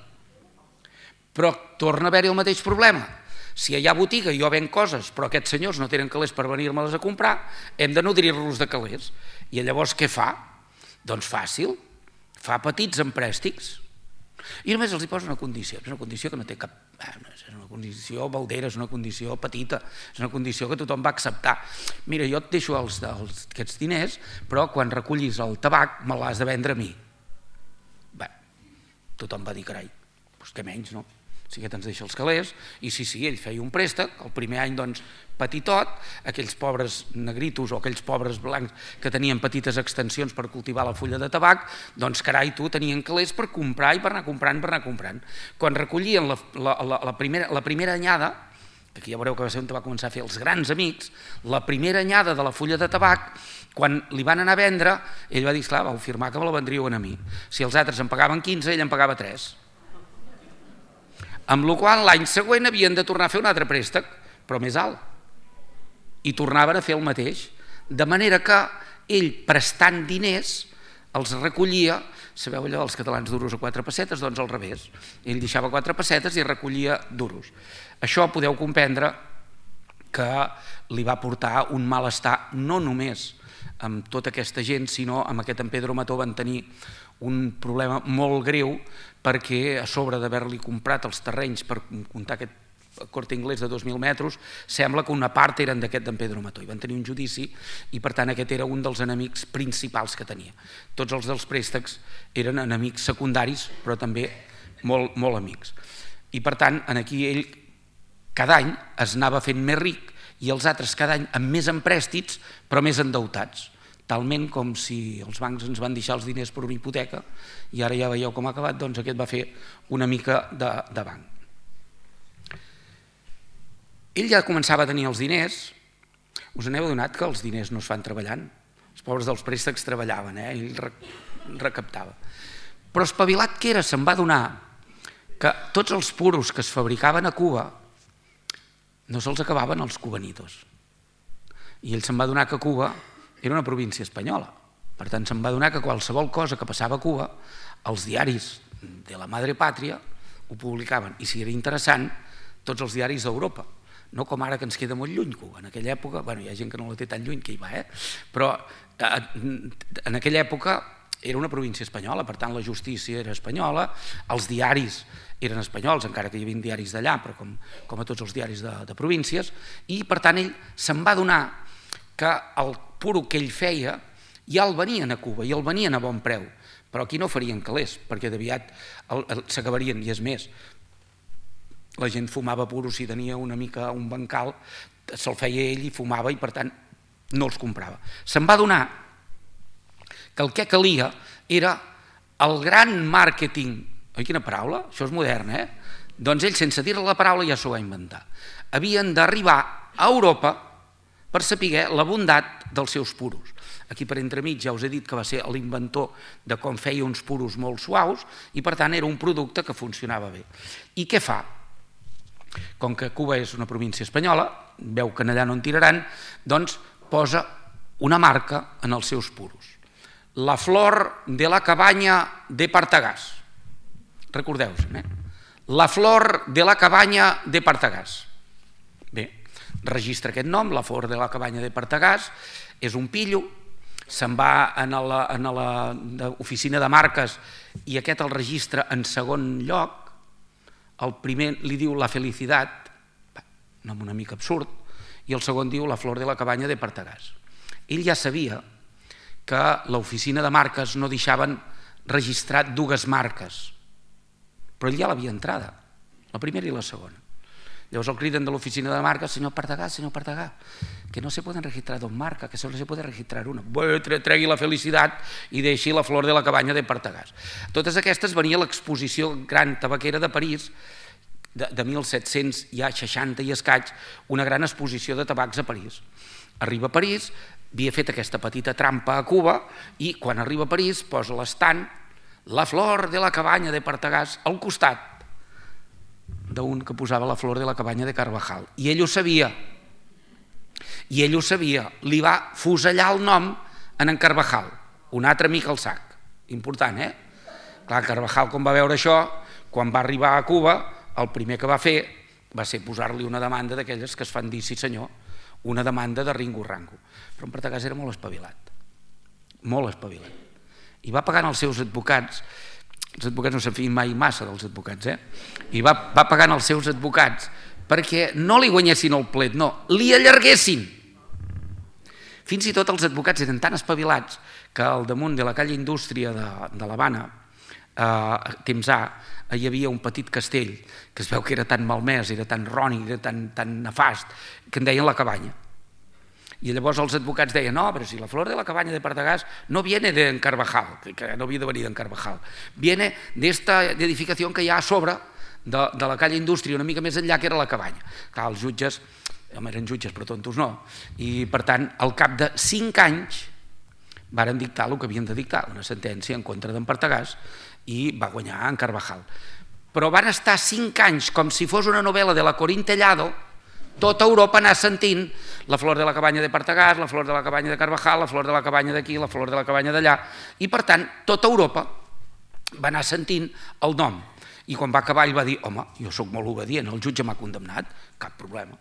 Però torna a haver-hi el mateix problema. Si hi ha botiga i jo venc coses, però aquests senyors no tenen calés per venir-me-les a comprar, hem de nodrir-los de calés. I llavors què fa? Doncs fàcil, fa petits emprèstics. I només els hi posa una condició, és una condició que no té cap... És una condició baldera, és una condició petita, és una condició que tothom va acceptar. Mira, jo et deixo els, els, aquests diners, però quan recollis el tabac me l'has de vendre a mi. Bé, tothom va dir, carai, doncs què menys, no? Si aquest ens deixa els calés, i sí, sí, ell feia un préstec, el primer any, doncs, petitot, aquells pobres negritos o aquells pobres blancs que tenien petites extensions per cultivar la fulla de tabac, doncs, carai, tu, tenien calés per comprar i per anar comprant, per anar comprant. Quan recollien la, la, la, la, primera, la primera anyada, aquí ja veureu que va ser on va començar a fer els grans amics, la primera anyada de la fulla de tabac, quan li van anar a vendre, ell va dir, esclar, vau firmar que me la vendríeu a mi. Si els altres en pagaven quinze, ell en pagava tres. Amb la qual cosa l'any següent havien de tornar a fer un altre préstec, però més alt. I tornaven a fer el mateix. De manera que ell, prestant diners, els recollia, sabeu allò dels catalans duros a quatre pessetes? Doncs al revés. Ell deixava quatre pessetes i recollia duros. Això podeu comprendre que li va portar un malestar no només amb tota aquesta gent, sinó amb aquest en Pedro Mató van tenir un problema molt greu perquè a sobre d'haver-li comprat els terrenys per comptar aquest Corte Inglés de dos mil metres, sembla que una part eren d'aquest d'en Pedro Mató i van tenir un judici i per tant aquest era un dels enemics principals que tenia. Tots els dels préstecs eren enemics secundaris però també molt, molt amics. I per tant aquí ell cada any es anava fent més ric i els altres cada any amb més emprèstits però més endeutats, talment com si els bancs ens van deixar els diners per una hipoteca i ara ja veieu com ha acabat, doncs aquest va fer una mica de, de banc. Ell ja començava a tenir els diners, us n'heu adonat que els diners no es fan treballant, els pobres dels préstecs treballaven, eh? Ell recaptava. Però espavilat que era, se'n va adonar que tots els puros que es fabricaven a Cuba no se'ls acabaven els cubanitos. I ell se'n va adonar que Cuba era una província espanyola. Per tant, se'n va adonar que qualsevol cosa que passava a Cuba, els diaris de la madre pàtria ho publicaven. I si era interessant, tots els diaris d'Europa. No com ara que ens queda molt lluny Cuba. En aquella època, bueno, hi ha gent que no la té tan lluny que hi va, eh? Però en aquella època era una província espanyola, per tant la justícia era espanyola, els diaris eren espanyols, encara que hi havia diaris d'allà, però com, com a tots els diaris de, de províncies, i per tant ell se'n va adonar que el puro que ell feia ja el venien a Cuba i el venien a bon preu, però aquí no farien calés, perquè d'aviat s'acabarien, i és més, la gent fumava puros si tenia una mica un bancal, se'l feia ell i fumava i per tant no els comprava. Se'n va adonar que el que calia era el gran màrqueting. Oi, quina paraula? Això és modern, eh? Doncs ell, sense dir la paraula, ja s'ho va inventar. Havien d'arribar a Europa per saber la bondat dels seus puros. Aquí per entremig ja us he dit que va ser l'inventor de com feia uns puros molt suaus i per tant era un producte que funcionava bé. I què fa? Com que Cuba és una província espanyola, veu que allà no en tiraran, doncs posa una marca en els seus puros. La flor de la cabanya de Partagàs. Recordeu-se'n, eh? La flor de la cabanya de Partagàs. Bé, registra aquest nom, la flor de la cabanya de Partagàs, és un pillo, se'n va a l'oficina de marques i aquest el registra en segon lloc, el primer li diu la felicitat, un nom una mica absurd, i el segon diu la flor de la cabanya de Partagàs. Ell ja sabia que l'oficina de marques no deixaven registrar dues marques, però ell ja l'havia entrada, la primera i la segona. Llavors el criden de l'oficina de marques, senyor Partagàs, senyor Partagàs, que no se poden registrar dos marcas, que solo se puede registrar una. Tregui la felicitat i deixi la flor de la cabanya de Partagàs. Totes aquestes venia a l'exposició gran tabaquera de París, de mil set-cents seixanta i escaig, una gran exposició de tabacs a París. Arriba a París, havia fet aquesta petita trampa a Cuba i quan arriba a París posa l'estant la flor de la cabanya de Partagàs al costat d'un que posava la flor de la cabanya de Carvajal. I ell ho sabia. I ell ho sabia. Li va fusellar el nom en en Carvajal, un altre amic al sac. Important, eh? Clar, Carvajal, quan va veure això, quan va arribar a Cuba, el primer que va fer va ser posar-li una demanda d'aquelles que es fan dir, sí senyor, una demanda de ringo-rango. Però en Partagàs era molt espavilat. Molt espavilat. I va pagant els seus advocats. Els advocats no se'n fien mai massa dels advocats, eh? I va, va pagant els seus advocats perquè no li guanyessin el plet, no, li allarguessin. Fins i tot els advocats eren tan espavilats que al damunt de la calle Indústria de, de l'Havana, a Temsà, hi havia un petit castell que es veu que era tan malmès, era tan rònic, era tan, tan nefast, que en deien la cabanya. I llavors els advocats deien, no, però si la flor de la cabanya de Partagàs no viene de en Carvajal, que no havia de venir d'en Carvajal, viene d'esta edificació que hi ha a sobre de, de la calle Indústria, una mica més enllà, que era la cabanya. Clar, els jutges, home, eren jutges, però tontos no, i per tant, al cap de cinc anys, varen dictar el que havien de dictar, una sentència en contra d'en Partagàs, i va guanyar en Carvajal. Però van estar cinc anys, com si fos una novel·la de la Corín Tellado, tota Europa anar sentint la flor de la cabanya de Partagàs, la flor de la cabanya de Carvajal, la flor de la cabanya d'aquí, la flor de la cabanya d'allà, i per tant, tota Europa va anar sentint el nom. I quan va acabar ell va dir, home, jo sóc molt obedient, el jutge m'ha condemnat, cap problema.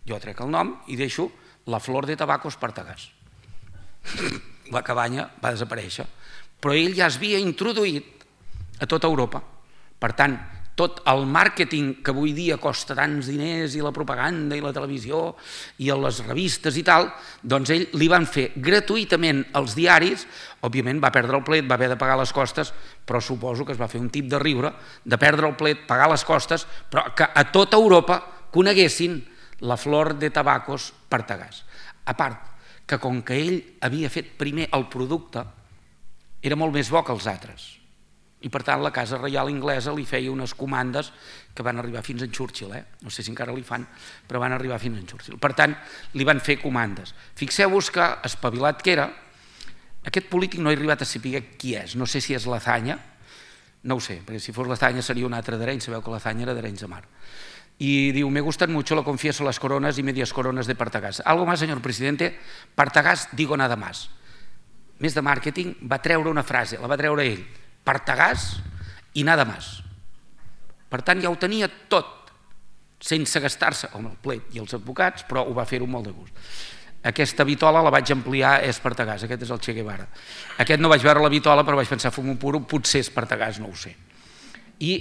Jo trec el nom i deixo la flor de tabacos Partagàs. La cabanya va desaparèixer. Però ell ja es havia introduït a tota Europa. Per tant, tot el màrqueting que avui dia costa tants diners i la propaganda i la televisió i les revistes i tal, doncs ell li van fer gratuïtament als diaris, òbviament va perdre el plet, va haver de pagar les costes, però suposo que es va fer un tip de riure, de perdre el plet, pagar les costes, però que a tota Europa coneguessin la flor de tabacos Partagàs. A part, que com que ell havia fet primer el producte, era molt més bo que els altres. I per tant la Casa Reial Inglesa li feia unes comandes que van arribar fins a en Churchill, eh? No sé si encara li fan, però van arribar fins a en Churchill. Per tant, li van fer comandes. Fixeu-vos que, espavilat que era, aquest polític no he arribat a saber qui és, no sé si és Lazanya, no ho sé, perquè si fos Lazanya seria un altre d'Arenys, sabeu que Lazanya era d'Arenys de Mar. Y diu, me gustan mucho, lo confieso, las coronas y medias coronas de Partagàs. Algo más, señor presidente, Partagàs, digo nada más. Més de màrqueting, va treure una frase, la va treure ell, Partagàs i nada más. Per tant, ja ho tenia tot, sense gastar-se, home, el plet i els advocats, però ho va fer-ho molt de gust. Aquesta vitola la vaig ampliar, és Partagàs, aquest és el Che Guevara. Aquest no vaig veure la vitola, però vaig pensar, fum un puro, potser és Partagàs, no ho sé. I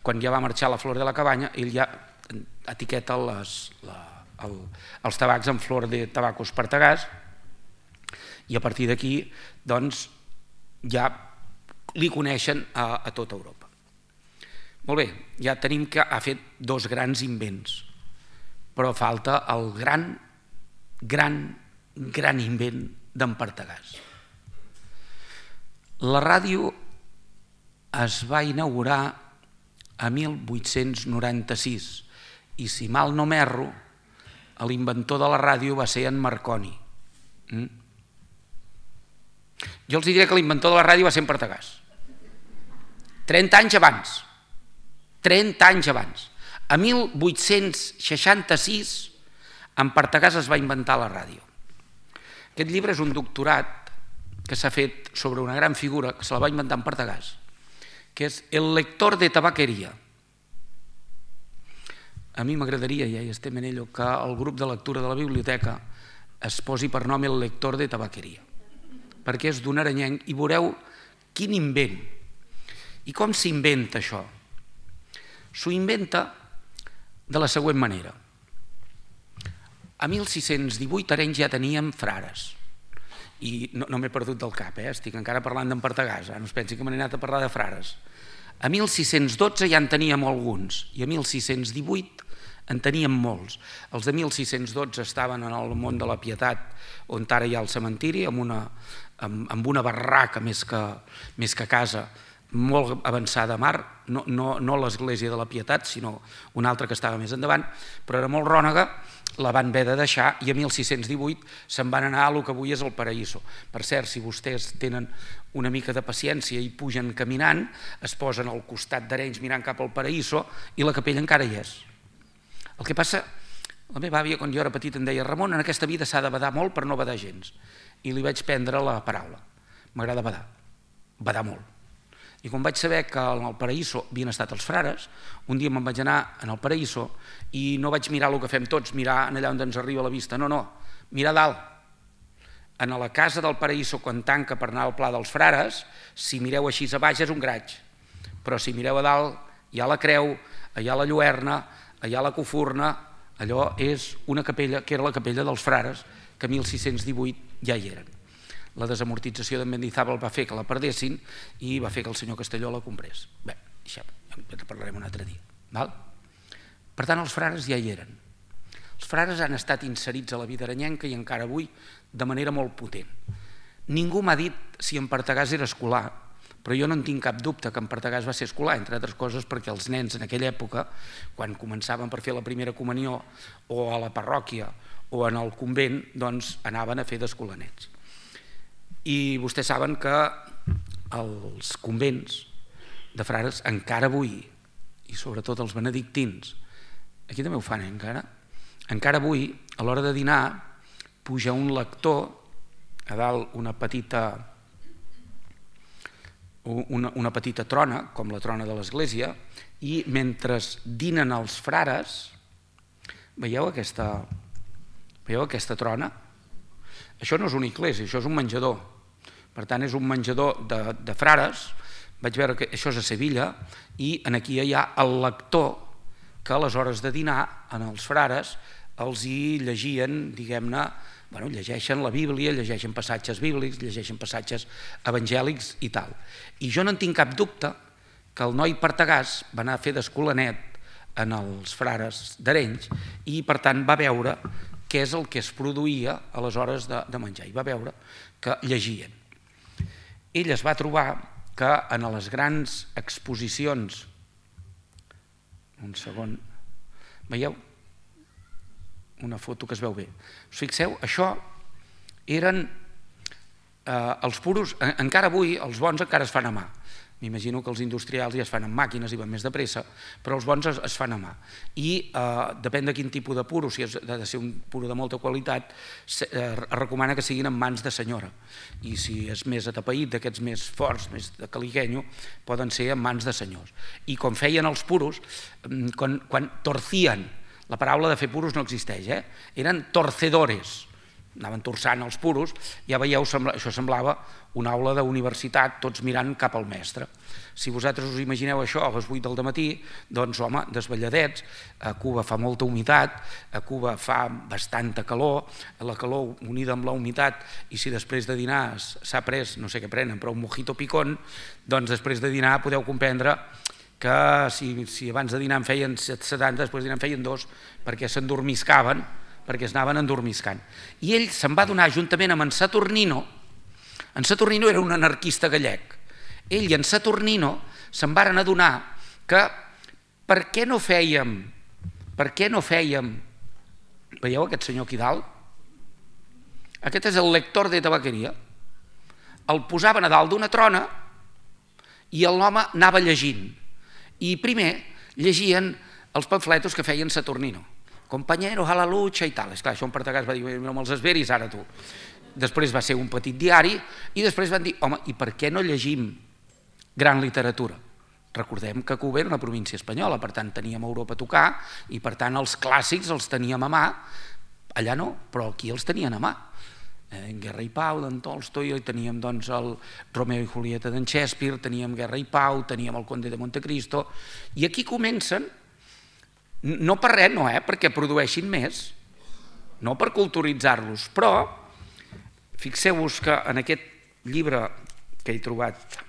quan ja va marxar la flor de la cabanya, ell ja etiqueta les, la, el, els tabacs en flor de tabacos Partagàs, i a partir d'aquí, doncs, ja li coneixen a, a tota Europa. Molt bé, ja tenim que ha fet dos grans invents, però falta el gran, gran, gran invent d'en Partagàs. La ràdio es va inaugurar a mil vuit-cents noranta-sis i, si mal no m'erro, l'inventor de la ràdio va ser en Marconi. Mm? Jo els diré que l'inventor de la ràdio va ser en Partagàs. trenta anys abans. trenta anys abans. A mil vuit-cents seixanta-sis, en Partagàs es va inventar la ràdio. Aquest llibre és un doctorat que s'ha fet sobre una gran figura que se la va inventar en Partagàs, que és el lector de tabaqueria. A mi m'agradaria, ja hi estem en ello, que el grup de lectura de la biblioteca es posi per nom el lector de tabaqueria, perquè és d'un arenyenc i veureu quin invent. I com s'inventa això? S'ho inventa de la següent manera. A mil sis-cents divuit a Arenys ja teníem frares, i no, no m'he perdut del cap, eh? Estic encara parlant d'en Partagàs, no es pensi que m'he anat a parlar de frares. A mil sis-cents dotze ja en teníem alguns, i a mil sis-cents divuit en teníem molts. Els de mil sis-cents dotze estaven en el món de la Pietat, on ara hi ha el cementiri, amb una, amb, amb una barraca més que, més que casa, molt avançada a mar, no, no, no l'església de la Pietat, sinó una altra que estava més endavant, però era molt rònega, la van haver de deixar i a mil sis-cents divuit se'n van anar a lo que avui és el Paraíso. Per cert, si vostès tenen una mica de paciència i pugen caminant, es posen al costat d'Arenys mirant cap al Paraíso i la capella encara hi és. El que passa, la meva àvia, quan jo era petit, em deia, Ramon, en aquesta vida s'ha de badar molt per no badar gens. I li vaig prendre la paraula. M'agrada badar, badar molt. I quan vaig saber que en el Paraíso havien estat els frares, un dia me'n vaig anar en el Paraíso i no vaig mirar el que fem tots, mirar allà on ens arriba la vista, no, no, mirar dalt. En la casa del Paraíso, quan tanca per anar al Pla dels Frares, si mireu així a baix és un graig, però si mireu a dalt hi ha la creu, hi ha la lluerna, hi ha la cofurna, allò és una capella, que era la capella dels frares, que a mil sis-cents divuit ja hi eren. La desamortització d'en Mendizábal va fer que la perdessin i va fer que el senyor Castelló la comprés. Bé, ja en parlarem un altre dia. Val? Per tant, els frares ja hi eren. Els frares han estat inserits a la vida arenyenca i encara avui de manera molt potent. Ningú m'ha dit si en Partagàs era escolar, però jo no en tinc cap dubte que en Partagàs va ser escolar, entre altres coses perquè els nens en aquella època, quan començaven per fer la primera comunió o a la parròquia o en el convent, doncs anaven a fer d'escolanets. I vostès saben que els convents de frares encara avui, i sobretot els benedictins, aquí també ho fan eh, encara, encara avui a l'hora de dinar puja un lector a dalt una petita Una, una petita trona, com la trona de l'església, i mentre dinen els frares, veieu aquesta, veieu aquesta trona? Això no és una església, això és un menjador. Per tant, és un menjador de, de frares. Vaig veure que això és a Sevilla, i aquí hi ha el lector que a les hores de dinar, en els frares, els hi llegien, diguem-ne, bueno, llegeixen la Bíblia, llegeixen passatges bíblics, llegeixen passatges evangèlics i tal. I jo no en tinc cap dubte que el noi Partagàs va anar a fer d'escolanet en els frares d'Arenys i per tant va veure què és el que es produïa a les hores de, de menjar i va veure que llegien. Ell es va trobar que en les grans exposicions, un segon, veieu? Una foto que es veu bé. Us fixeu, això eren eh, els puros, encara avui els bons encara es fan a mà. M'imagino que els industrials ja es fan amb màquines i van més de pressa, però els bons es, es fan a mà. I eh, depèn de quin tipus de puro, si és de ser un puro de molta qualitat, es eh, recomana que siguin en mans de senyora. I si és més atapeït, d'aquests més forts, més de caliguenyo, poden ser en mans de senyors. I com feien els puros, quan, quan torcien, la paraula de fer puros no existeix, eh? Eren torcedores, anaven torçant els puros, ja veieu, això semblava una aula d'universitat, tots mirant cap al mestre. Si vosaltres us imagineu això a les vuit del dematí, doncs home, desvelladets, a Cuba fa molta humitat, a Cuba fa bastanta calor, la calor unida amb la humitat, i si després de dinar s'ha pres, no sé què prenen, però un mojito picón, doncs després de dinar podeu comprendre que si, si abans de dinar en feien setanta, després de dinar en feien dos, perquè s'endormiscaven, perquè es anaven endormiscant. I ell se'n va donar juntament amb en Saturnino, en Saturnino era un anarquista gallec, ell i en Saturnino se'n varen adonar que per què no fèiem, per què no fèiem, veieu aquest senyor aquí dalt? Aquest és el lector de tabaqueria, el posaven a dalt d'una trona i l'home anava llegint. I primer llegien els pamfletos que feien Saturnino. Compañeros a la lucha i tal. Esclar, això en Partagàs va dir, no me'ls esveris ara tu. Després va ser un petit diari i després van dir, home, i per què no llegim gran literatura? Recordem que Cuba era una província espanyola, per tant teníem Europa a tocar i per tant els clàssics els teníem a mà. Allà no, però aquí els tenien a mà. En Guerra i Pau d'en Tolstoi, teníem doncs el Romeo i Julieta d'en Shakespeare, teníem Guerra i Pau, teníem el Conde de Montecristo, i aquí comencen, no per res, no, eh, perquè produeixin més, no per culturitzar-los, però fixeu-vos que en aquest llibre que he trobat,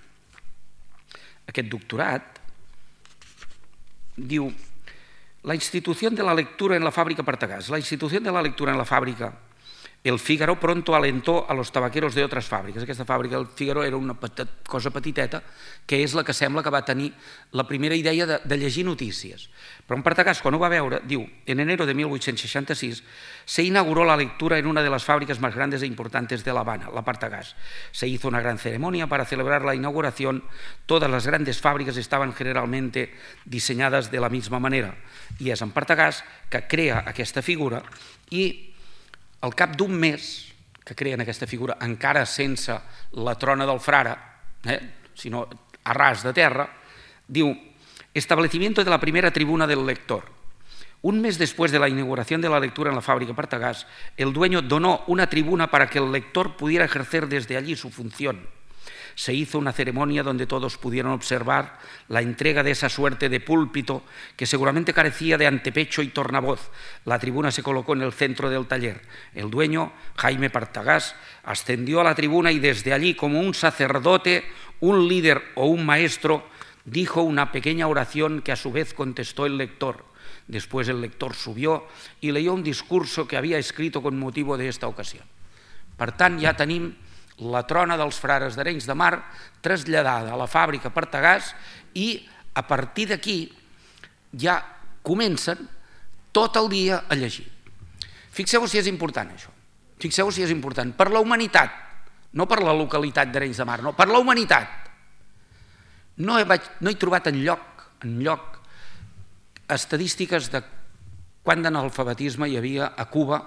aquest doctorat, diu la institución de la lectura en la fábrica Partagàs. La institución de la lectura en la fábrica El Fígaro pronto alentó a los tabaqueros de otras fábricas. Aquesta fàbrica del Fígaro era una cosa petiteta que és la que sembla que va tenir la primera idea de, de llegir notícies. Però en Partagàs, quan ho va veure, diu, en enero de mil vuit-cents seixanta-sis se inauguró la lectura en una de las fábricas más grandes e importantes de La Habana, la Partagàs. Se hizo una gran ceremonia para celebrar la inauguración. Todas las grandes fábricas estaban generalmente diseñadas de la misma manera. I és en Partagàs que crea aquesta figura i al cap d'un mes que creen aquesta figura, encara sense la trona del frare, eh, sinó a ras de terra, diu, establecimiento de la primera tribuna del lector. Un mes después de la inauguración de la lectura en la fábrica Partagàs, el dueño donó una tribuna para que el lector pudiera ejercer desde allí su función. Se hizo una ceremonia donde todos pudieron observar la entrega de esa suerte de púlpito que seguramente carecía de antepecho y tornavoz. La tribuna se colocó en el centro del taller. El dueño, Jaime Partagàs, ascendió a la tribuna y desde allí, como un sacerdote, un líder o un maestro, dijo una pequeña oración que a su vez contestó el lector. Después el lector subió y leyó un discurso que había escrito con motivo de esta ocasión. Per tant, ja tenim la trona dels frares d'Arenys de Mar traslladada a la fàbrica Partagàs i a partir d'aquí ja comencen tot el dia a llegir. Fixeu-vos si és important això, fixeu-vos si és important, per la humanitat, no per la localitat d'Arenys de Mar, no, per la humanitat. No he, no he trobat enlloc, enlloc estadístiques de quant d'analfabetisme hi havia a Cuba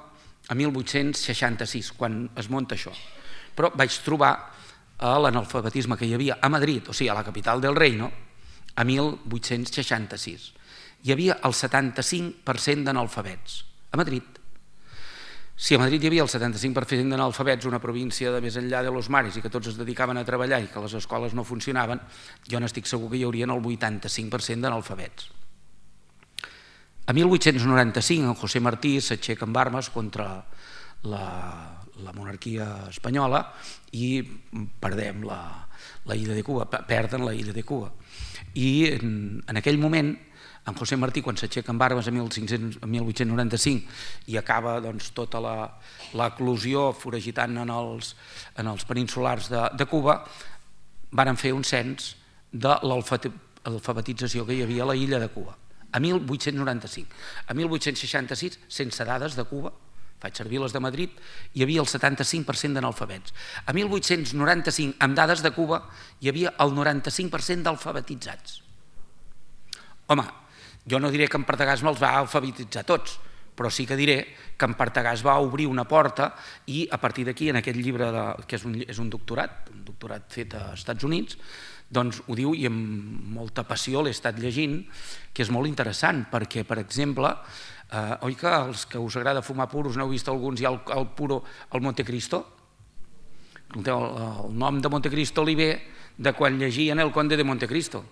a mil vuit-cents seixanta-sis, quan es munta això. Però vaig trobar l'analfabetisme que hi havia a Madrid, o sigui, a la capital del reino, a mil vuit-cents seixanta-sis. Hi havia el setanta-cinc per cent d'analfabets, a Madrid. Si a Madrid hi havia el setanta-cinc per cent d'analfabets, una província de més enllà de los mares, i que tots es dedicaven a treballar i que les escoles no funcionaven, jo n'estic segur que hi haurien el vuitanta-cinc per cent d'analfabets. A mil vuit-cents noranta-cinc, en José Martí s'aixeca amb armes contra la, la monarquia espanyola i perdem la, la illa de Cuba, perden la illa de Cuba. I en, en aquell moment, en José Martí, quan s'aixeca amb armes a mil vuit-cents noranta-cinc i acaba doncs, tota l'eclosió foragitant en els, en els peninsulars de, de Cuba, van fer un cens de l'alfabetització que hi havia a la illa de Cuba. A mil vuit-cents noranta-cinc. A mil vuit-cents seixanta-sis, sense dades de Cuba, faig servir les de Madrid, hi havia el setanta-cinc per cent d'analfabets. A mil vuit-cents noranta-cinc, amb dades de Cuba, hi havia el noranta-cinc per cent d'alfabetitzats. Home, jo no diré que en Partagàs me'ls va alfabetitzar tots, però sí que diré que en Partagàs va obrir una porta i a partir d'aquí, en aquest llibre, de, que és un, és un doctorat, un doctorat fet als Estats Units, doncs ho diu i amb molta passió l'he estat llegint, que és molt interessant, perquè, per exemple, eh, oi que els que us agrada fumar puros n'heu vist alguns, hi ha el, el puro, el Montecristo? El, el nom de Montecristo li ve de quan llegien El Conde de Montecristo.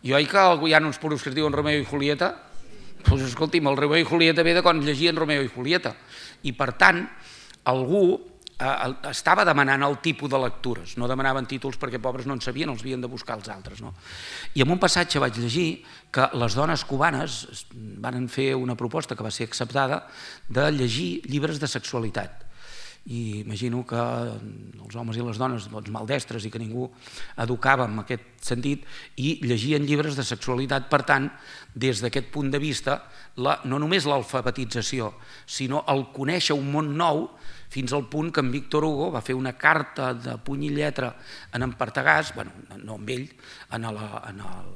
I oi que hi ha uns puros que es diuen Romeo i Julieta? Doncs escolti'm, el Romeo i Julieta ve de quan llegien Romeo i Julieta. I per tant, algú estava demanant el tipus de lectures, no demanaven títols perquè pobres no en sabien, els havien de buscar els altres. No? I en un passatge vaig llegir que les dones cubanes van fer una proposta que va ser acceptada de llegir llibres de sexualitat. I imagino que els homes i les dones doncs, maldestres i que ningú educava en aquest sentit i llegien llibres de sexualitat. Per tant, des d'aquest punt de vista, la, no només l'alfabetització, sinó el conèixer un món nou, fins al punt que en Víctor Hugo va fer una carta de puny i lletra en en Partagàs, bueno, no amb ell, en la, en el,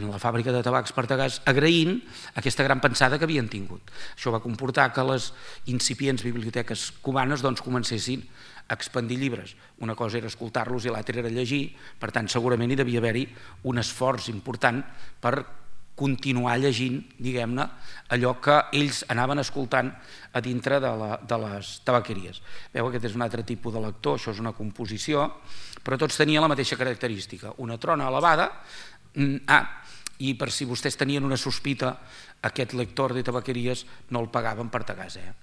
en la fàbrica de tabacs Partagàs, agraint aquesta gran pensada que havien tingut. Això va comportar que les incipients biblioteques cubanes doncs, comencessin a expandir llibres. Una cosa era escoltar-los i l'altra era llegir, per tant segurament hi devia haver-hi un esforç important per continuar llegint, diguem-ne, allò que ells anaven escoltant a dintre de, la, de les tabaqueries. Veu, aquest és un altre tipus de lector, això és una composició, però tots tenien la mateixa característica, una trona elevada. Ah, i per si vostès tenien una sospita, aquest lector de tabaqueries no el pagaven per Partagàs, eh?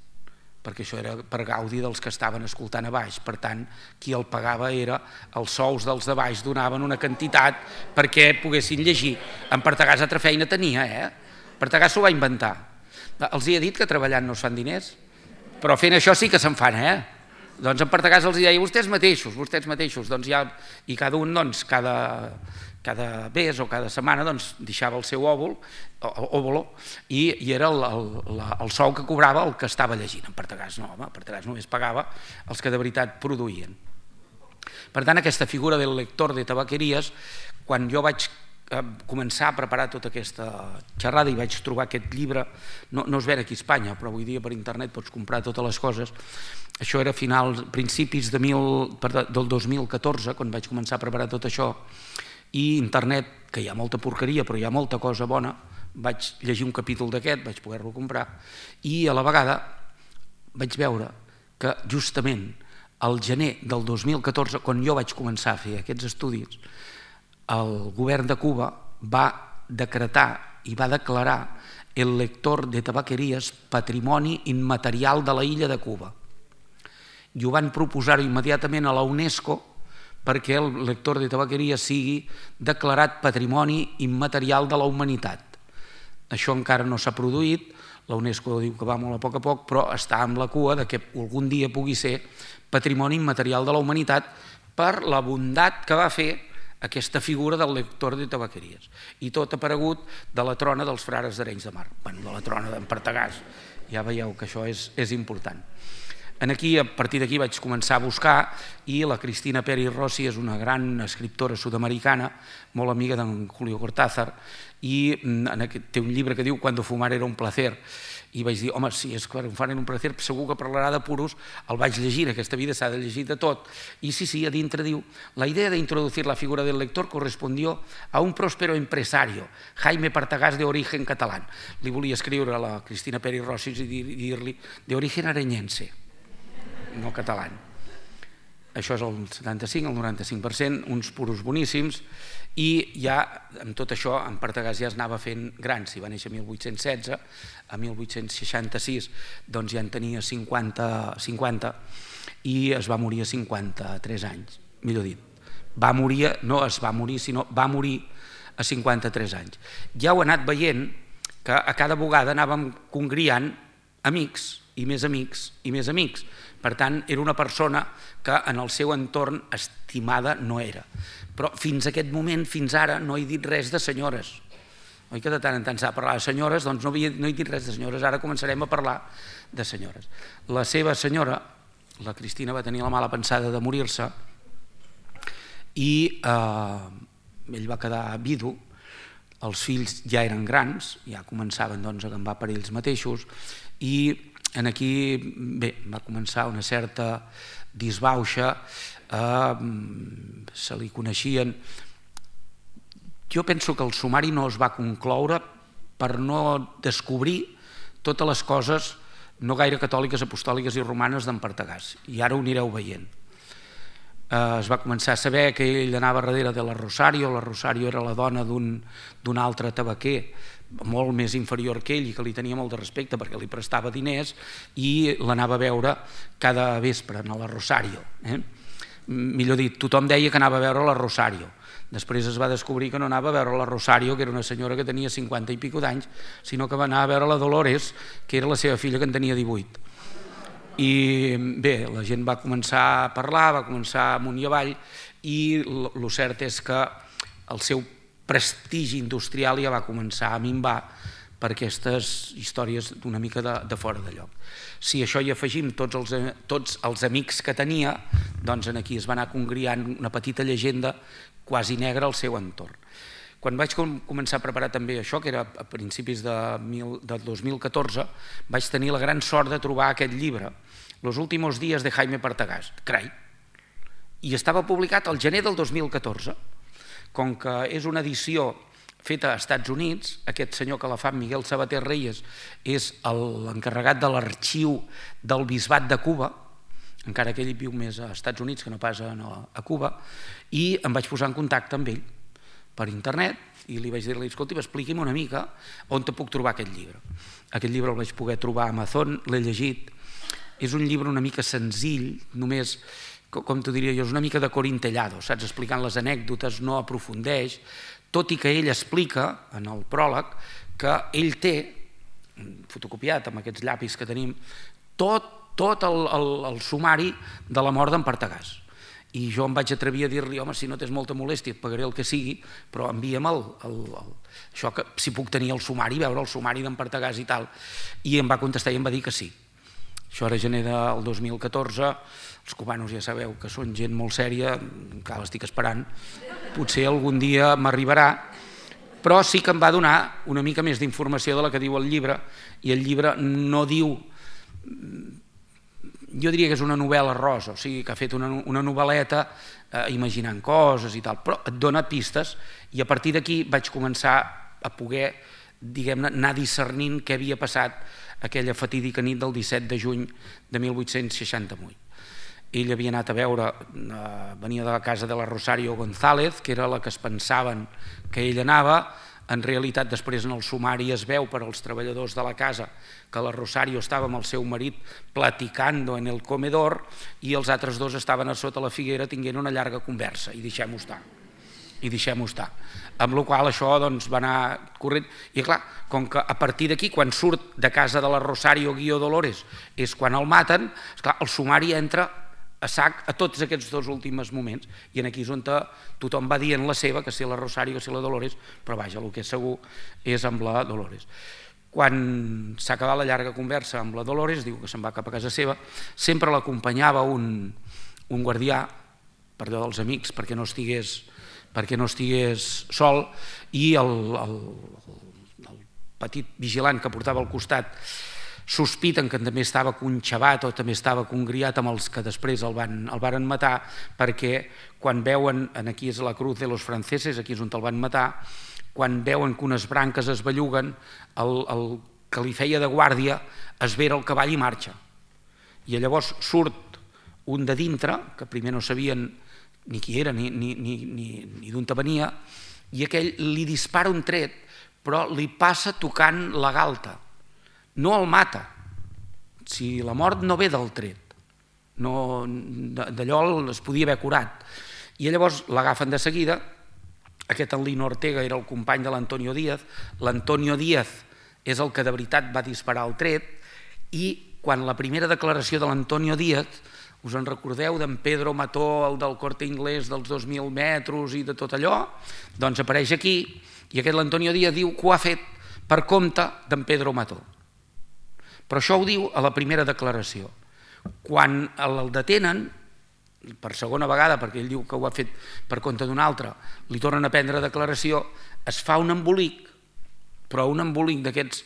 perquè això era per gaudi dels que estaven escoltant a baix. Per tant, qui el pagava era els sous dels de baix, donaven una quantitat perquè poguessin llegir. En Partagàs altra feina tenia, eh? Partagàs s'ho va inventar. Els he dit que treballant no es fan diners, però fent això sí que se'n fan, eh? Doncs en Partagàs els deia, vostès mateixos, vostès mateixos, doncs ja, i cada un, doncs, cada... cada mes o cada setmana doncs, deixava el seu òvol, òvolo i, i era el, el, el sou que cobrava el que estava llegint. En Partagàs no, home, Partagàs només pagava els que de veritat produïen. Per tant, aquesta figura del lector de tabaqueries, quan jo vaig començar a preparar tota aquesta xerrada i vaig trobar aquest llibre, no, no es ven aquí a Espanya, però avui dia per internet pots comprar totes les coses. Això era a finals, principis de mil, del dos mil catorze, quan vaig començar a preparar tot això, i internet, que hi ha molta porqueria però hi ha molta cosa bona, vaig llegir un capítol d'aquest, vaig poder-lo comprar i a la vegada vaig veure que justament al gener del dos mil catorze, quan jo vaig començar a fer aquests estudis, el govern de Cuba va decretar i va declarar el lector de tabaqueries patrimoni immaterial de la illa de Cuba i ho van proposar immediatament a la UNESCO perquè el lector de tabaqueria sigui declarat patrimoni immaterial de la humanitat. Això encara no s'ha produït, la UNESCO diu que va molt a poc a poc, però està amb la cua de que algun dia pugui ser patrimoni immaterial de la humanitat per la bondat que va fer aquesta figura del lector de tabaqueries. I tot ha aparegut de la trona dels frares d'Arenys de Mar, bueno, de la trona d'en Partagàs. Ja veieu que això és, és important. Aquí, a partir d'aquí vaig començar a buscar i la Cristina Peri Rossi és una gran escriptora sud-americana, molt amiga d'en Julio Cortázar, i té un llibre que diu Cuando fumar era un placer, i vaig dir, home, si és Cuando fumar era un placer, segur que parlarà de puros, el vaig llegir, aquesta vida s'ha de llegir de tot, i sí, sí, a dintre diu, la idea de introducir la figura del lector correspondió a un próspero empresario, Jaime Partagàs de origen catalán. Li volia escriure a la Cristina Peri Rossi i dir-li de origen arenyense, no català. Això és el setanta-cinc, el noranta-cinc per cent, uns puros boníssims, i ja amb tot això en Partagàs ja es anava fent gran. Si va néixer a mil vuit-cents setze, a mil vuit-cents seixanta-sis doncs ja en tenia cinquanta i es va morir a cinquanta-tres anys, millor dit. Va morir, no es va morir, sinó va morir a cinquanta-tres anys. Ja ho he anat veient que a cada vegada anàvem congriant amics i més amics i més amics. Per tant, era una persona que en el seu entorn estimada no era. Però fins a aquest moment, fins ara, no he dit res de senyores. Oi que de tant en tant s'ha parlat de senyores? Doncs no he dit res de senyores, ara començarem a parlar de senyores. La seva senyora, la Cristina, va tenir la mala pensada de morir-se i ell va quedar vidu, els fills ja eren grans, ja començaven a agafar per ells mateixos, i aquí va començar una certa disbauxa, se li coneixien. Jo penso que el sumari no es va concloure per no descobrir totes les coses no gaire catòliques, apostòliques i romanes d'en Partagàs, i ara ho anireu veient. Es va començar a saber que ell anava darrere de la Rosario, la Rosario era la dona d'un altre tabaquer molt més inferior que ell i que li tenia molt de respecte perquè li prestava diners i l'anava a veure cada vespre a la Rosario. Millor dit, tothom deia que anava a veure la Rosario. Després es va descobrir que no anava a veure la Rosario, que era una senyora que tenia cinquanta i pico d'anys, sinó que va anar a veure la Dolores, que era la seva filla que en tenia divuit. I bé, la gent va començar a parlar, va començar amunt i avall, i el cert és que el seu prestigi industrial ja va començar a minvar per aquestes històries d'una mica de fora de lloc. Si això hi afegim tots els amics que tenia, doncs aquí es va anar congriant una petita llegenda quasi negra al seu entorn. Quan vaig començar a preparar també això, que era a principis del dos mil catorze, vaig tenir la gran sort de trobar aquest llibre, Los últimos días de Jaime Partagàs, carai, i estava publicat al gener del dos mil catorze. Com que és una edició feta als Estats Units, aquest senyor que la fa, Miguel Sabater Reyes, és l'encarregat de l'arxiu del Bisbat de Cuba, encara que ell viu més als Estats Units que no pas a Cuba, i em vaig posar en contacte amb ell per internet i li vaig dir-li, escolta, expliqui'm una mica on te puc trobar aquest llibre. Aquest llibre el vaig poder trobar a Amazon, l'he llegit. És un llibre una mica senzill, només, com t'ho diria jo, és una mica de corintellado, saps? Explicant les anècdotes, no aprofundeix, tot i que ell explica, en el pròleg, que ell té, fotocopiat amb aquests llapis que tenim, tot el sumari de la mort d'en Partagàs. I jo em vaig atrevir a dir-li, home, si no tens molta molèstia, et pagaré el que sigui, però envia'm això, que si puc tenir el sumari, veure el sumari d'en Partagàs i tal. I em va contestar i em va dir que sí. Això era gener del dos mil catorze, els cubanos ja sabeu que són gent molt sèria, encara l'estic esperant, potser algun dia m'arribarà, però sí que em va donar una mica més d'informació de la que diu el llibre, i el llibre no diu, jo diria que és una novel·la rosa, o sigui que ha fet una novel·leta imaginant coses i tal, però et dona pistes, i a partir d'aquí vaig començar a poder, diguem-ne, anar discernint què havia passat aquella fatídica nit del disset de juny de mil vuit-cents seixanta-vuit. Ell havia anat a veure, venia de la casa de la Rosario González, que era la que es pensaven que ell anava. En realitat, després en el sumari es veu per als treballadors de la casa que la Rosario estava amb el seu marit platicando en el comedor i els altres dos estaven a sota la figuera tinguent una llarga conversa, i deixem-ho estar. I deixem-ho estar. Amb la qual això va anar corrent. I clar, com que a partir d'aquí, quan surt de casa de la Rosario Guió Dolores, és quan el maten, el sumari entra a sac a tots aquests dos últims moments, i aquí és on tothom va dient la seva, que si la Rosario o si la Dolores, però vaja, el que és segur és amb la Dolores. Quan s'ha acabat la llarga conversa amb la Dolores, diu que se'n va cap a casa seva, sempre l'acompanyava un, un guardià, per allò dels amics, perquè no estigués, perquè no estigués sol, i el, el, el petit vigilant que portava al costat sospiten que també estava conxavat o també estava congriat amb els que després el van, el varen matar, perquè quan veuen, aquí és la cruz de los franceses, aquí és on el van matar, quan veuen que unes branques es belluguen, el, el que li feia de guàrdia esvera el cavall i marxa. I llavors surt un de dintre, que primer no sabien ni qui era ni, ni, ni, ni, ni d'on venia, i aquell li dispara un tret, però li passa tocant la galta. No el mata. Si la mort no ve del tret, no, d'allò es podia haver curat. I llavors l'agafen de seguida. Aquest en Lino Ortega era el company de l'Antonio Díaz. L'Antonio Díaz és el que de veritat va disparar el tret, i quan la primera declaració de l'Antonio Díaz, us en recordeu d'en Pedro Mató, el del Corte Inglés dels dos mil metres i de tot allò, doncs apareix aquí, i aquest l'Antonio Díaz diu que ho ha fet per compte d'en Pedro Mató. Però això ho diu a la primera declaració. Quan el detenen, per segona vegada, perquè ell diu que ho ha fet per compte d'un altre, li tornen a prendre declaració, es fa un embolic, però un embolic d'aquests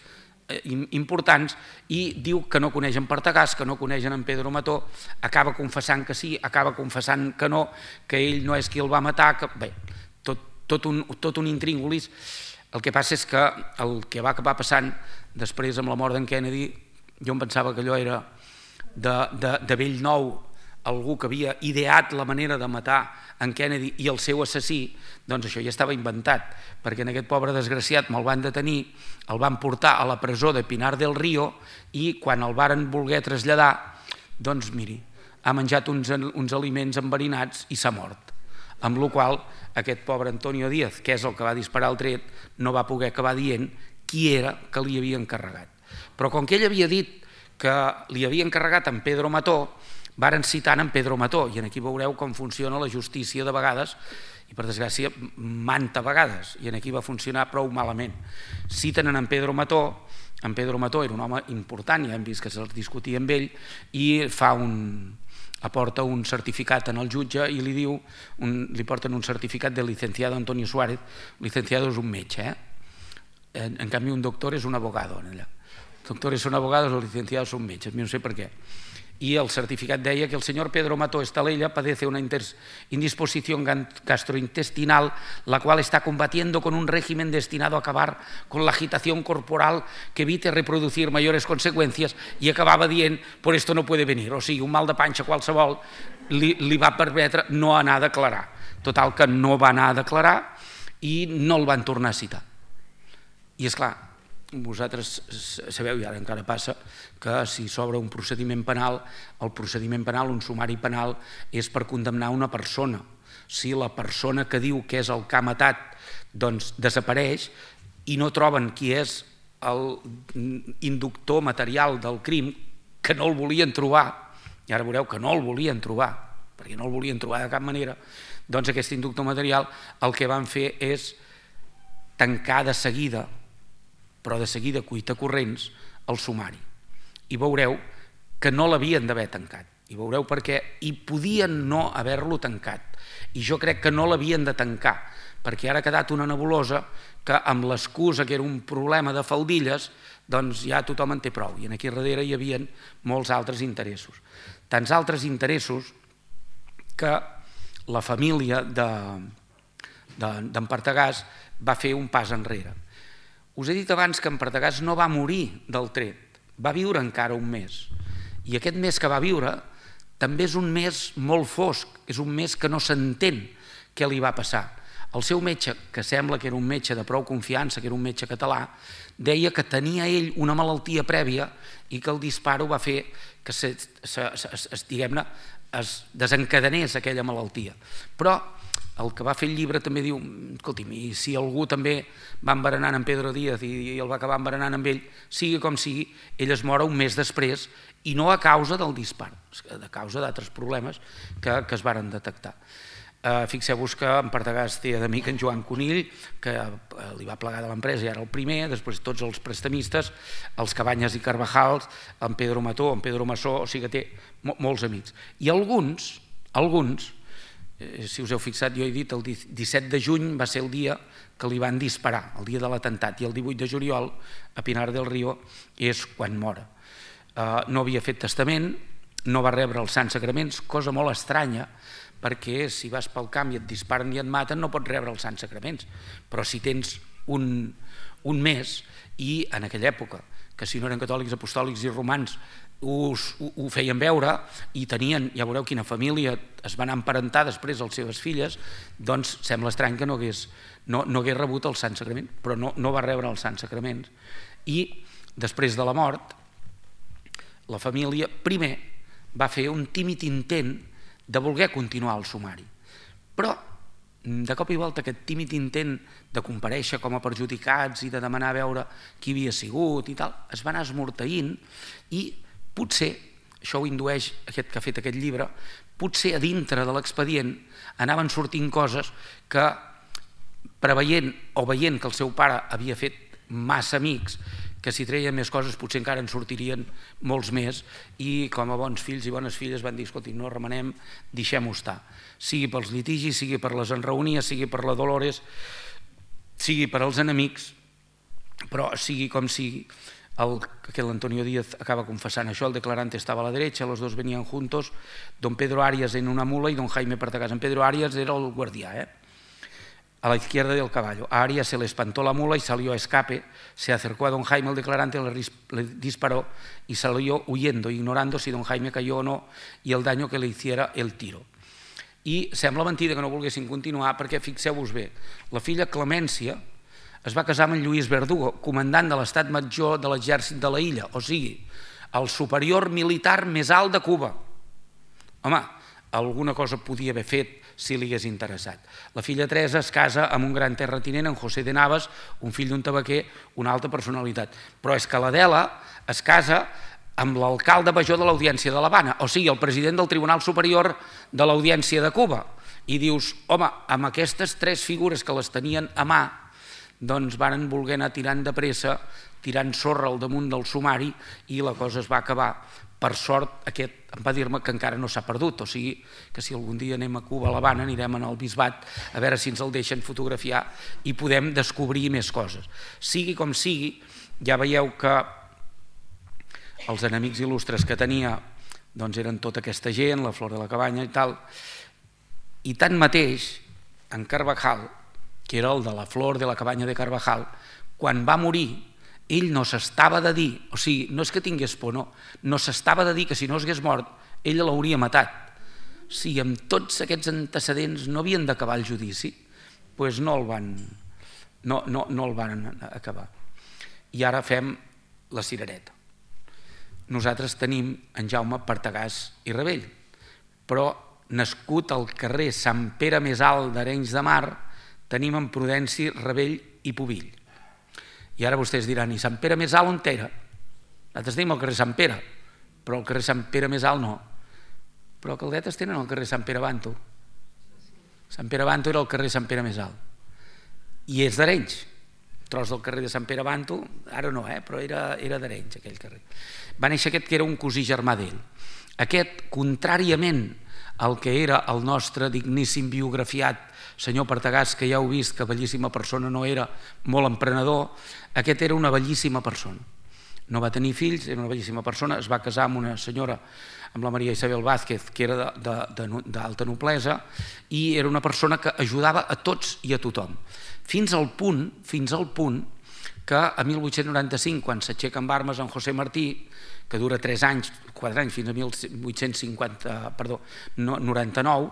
importants, i diu que no coneix en Partagàs, que no coneixen en Pedro Mató, acaba confessant que sí, acaba confessant que no, que ell no és qui el va matar, que bé, tot, tot, un, tot un intríngulis. El que passa és que el que va acabar passant després amb la mort d'en Kennedy, jo em pensava que allò era de, de, de bell nou, algú que havia ideat la manera de matar en Kennedy i el seu assassí, doncs això ja estava inventat, perquè en aquest pobre desgraciat me'l van detenir, el van portar a la presó de Pinar del Río, i quan el varen voler traslladar, doncs miri, ha menjat uns, uns aliments enverinats i s'ha mort. Amb la qual cosa aquest pobre Antonio Díaz, que és el que va disparar el tret, no va poder acabar dient qui era que li havia encarregat. Però com que ell havia dit que li havia encarregat en Pedro Mató, varen citant en Pedro Mató, i aquí veureu com funciona la justícia de vegades, i per desgràcia manta vegades, i aquí va funcionar prou malament. Citen en Pedro Mató, en Pedro Mató era un home important, ja hem vist que se'ls discutia amb ell, i fa un... aporta un certificat en el jutge i li diu, un, li porten un certificat del licenciado Antonio Suárez. Licenciado és un metge, eh? en, en canvi un doctor és un abogado. Allà. Doctores son abogados, los licenciados son metges, no sé per què. Y el certificat deia que el señor Pedro Mató Estalella padece una indisposición gastrointestinal, la cual está combatiendo con un régimen destinado a acabar con la agitación corporal que evite reproducir mayores consecuencias, i acabava dient, por esto no puede venir. O sigui, un mal de panxa qualsevol li, li va permetre no anar a declarar. Total, que no va anar a declarar i no el van tornar a citar. I és clar, vosaltres sabeu, i ara encara passa, que si s'obre un procediment penal, el procediment penal, un sumari penal, és per condemnar una persona. Si la persona que diu que és el que ha matat doncs desapareix i no troben qui és l'inductor material del crim, que no el volien trobar, i ara veureu que no el volien trobar, perquè no el volien trobar de cap manera, doncs aquest inductor material el que van fer és tancar de seguida, però de seguida cuita corrents, el sumari. I veureu que no l'havien d'haver tancat. I veureu per què. I podien no haver-lo tancat. I jo crec que no l'havien de tancar, perquè ara ha quedat una nebulosa que amb l'excusa que era un problema de faldilles, doncs ja tothom en té prou. I aquí darrere hi havia molts altres interessos. Tants altres interessos que la família d'en Partagàs va fer un pas enrere. Us he dit abans que en Partagàs no va morir del tret, va viure encara un mes. I aquest mes que va viure també és un mes molt fosc, és un mes que no s'entén què li va passar. El seu metge, que sembla que era un metge de prou confiança, que era un metge català, deia que tenia ell una malaltia prèvia i que el disparo va fer que se, se, se, diguem-ne, es desencadenés aquella malaltia. Però el que va fer el llibre també diu, escolti'm, i si algú també va enverenant en Pedro Díaz i el va acabar enverenant amb ell, sigui com sigui, ell es mora un mes després i no a causa del dispar, a causa d'altres problemes que, que es varen detectar. Uh, Fixeu-vos que en Partagàs té d'amic en Joan Conill, que uh, li va plegar de l'empresa i era el primer, després tots els prestamistes, els Cabanyes i Carvajals, en Pedro Mató, en Pedro Massó, o sigui que té mo molts amics. I alguns, alguns, eh, si us heu fixat, jo he dit el disset de juny va ser el dia que li van disparar, el dia de l'atemptat, i el divuit de juliol a Pinar del Río és quan mora. Uh, no havia fet testament, no va rebre els sants sacraments, cosa molt estranya, perquè si vas pel camp i et disparen i et maten no pots rebre els sants sacraments, però si tens un, un mes, i en aquella època, que si no eren catòlics, apostòlics i romans us, ho, ho feien veure i tenien, ja veureu quina família es van emparentar després les seves filles, doncs sembla estrany que no hagués, no, no hagués rebut el sant sacrament, però no, no va rebre els sants sacraments. I després de la mort, la família primer va fer un tímid intent de voler continuar el sumari. Però, de cop i volta, aquest tímid intent de comparèixer com a perjudicats i de demanar a veure qui havia sigut i tal, es va anar esmorteint i potser, això ho indueix aquest que ha fet aquest llibre, potser a dintre de l'expedient anaven sortint coses que, preveient o veient que el seu pare havia fet massa amics, que si treien més coses potser encara en sortirien molts més, i com a bons fills i bones filles van dir, escolti, no remenem, deixem-ho estar. Sigui pels litigis, sigui per les enraonies, sigui per la Dolores, sigui per als enemics, però sigui com sigui, el, que l'Antonio Díaz acaba confessant això, el declarante estava a la derecha, los dos venían juntos, don Pedro Arias en una mula y don Jaime Partagàs. En Pedro Arias era el guardià, eh? A la izquierda del caballo. A Arias se le espantó la mula y salió a escape, se acercó a don Jaime el declarante, le disparó y salió huyendo, ignorando si don Jaime cayó o no y el daño que le hiciera el tiro. I sembla mentida que no volguessin continuar perquè, fixeu-vos bé, la filla Clemència es va casar amb en Lluís Verdugo, comandant de l'estat major de l'exèrcit de la illa, o sigui, el superior militar més alt de Cuba. Home, alguna cosa podia haver fet si li hagués interessat. La filla Teresa es casa amb un gran terratinent, en José de Navas, un fill d'un tabaquer, una alta personalitat. Però és que l'Adela es casa amb l'alcalde major de l'Audiència de l'Havana, o sigui, el president del Tribunal Superior de l'Audiència de Cuba. I dius, home, amb aquestes tres figures que les tenien a mà, doncs varen voler anar tirant de pressa, tirant sorra al damunt del sumari, i la cosa es va acabar. Per sort, aquest em va dir-me que encara no s'ha perdut, o sigui que si algun dia anem a Cuba, a l'Havana, anirem al bisbat a veure si ens el deixen fotografiar i podem descobrir més coses. Sigui com sigui, ja veieu que els enemics il·lustres que tenia doncs eren tota aquesta gent, la Flor de la Cabanya i tal, i tanmateix, en Carvajal, que era el de la Flor de la Cabanya de Carvajal, quan va morir, ell no s'estava de dir, o sigui, no és que tingués por, no, no s'estava de dir que si no s'hagués mort, ell l'hauria matat. Si amb tots aquests antecedents no havien d'acabar el judici, doncs no el van, no, no, no el van acabar. I ara fem la cirereta. Nosaltres tenim en Jaume Partagàs i Rebell, però nascut al carrer Sant Pere Més Alt d'Arenys de Mar, tenim en Prudenci, Rebell i Pubill. I ara vostès diran, i Sant Pere Més Alt on era? Nosaltres tenim el carrer Sant Pere, però el carrer Sant Pere Més Alt no. Però Caldetes tenen el carrer Sant Pere Banto. Sant Pere Banto era el carrer Sant Pere Més Alt. I és d'Arenys. Tros del carrer de Sant Pere Banto, ara no, eh? Però era, era d'Arenys, aquell carrer. Va néixer aquest que era un cosí germà d'ell. Aquest, contràriament al que era el nostre digníssim biografiat senyor Partagàs, que ja heu vist que bellíssima persona no era, molt emprenedor, aquest era una bellíssima persona. No va tenir fills, era una bellíssima persona, es va casar amb una senyora, amb la Maria Isabel Vázquez, que era d'alta noblesa, i era una persona que ajudava a tots i a tothom. Fins al punt, fins al punt, que a mil vuit-cents noranta-cinc, quan s'aixeca amb armes en José Martí, que dura tres anys, quatre anys, fins a mil vuit-cents noranta-nou,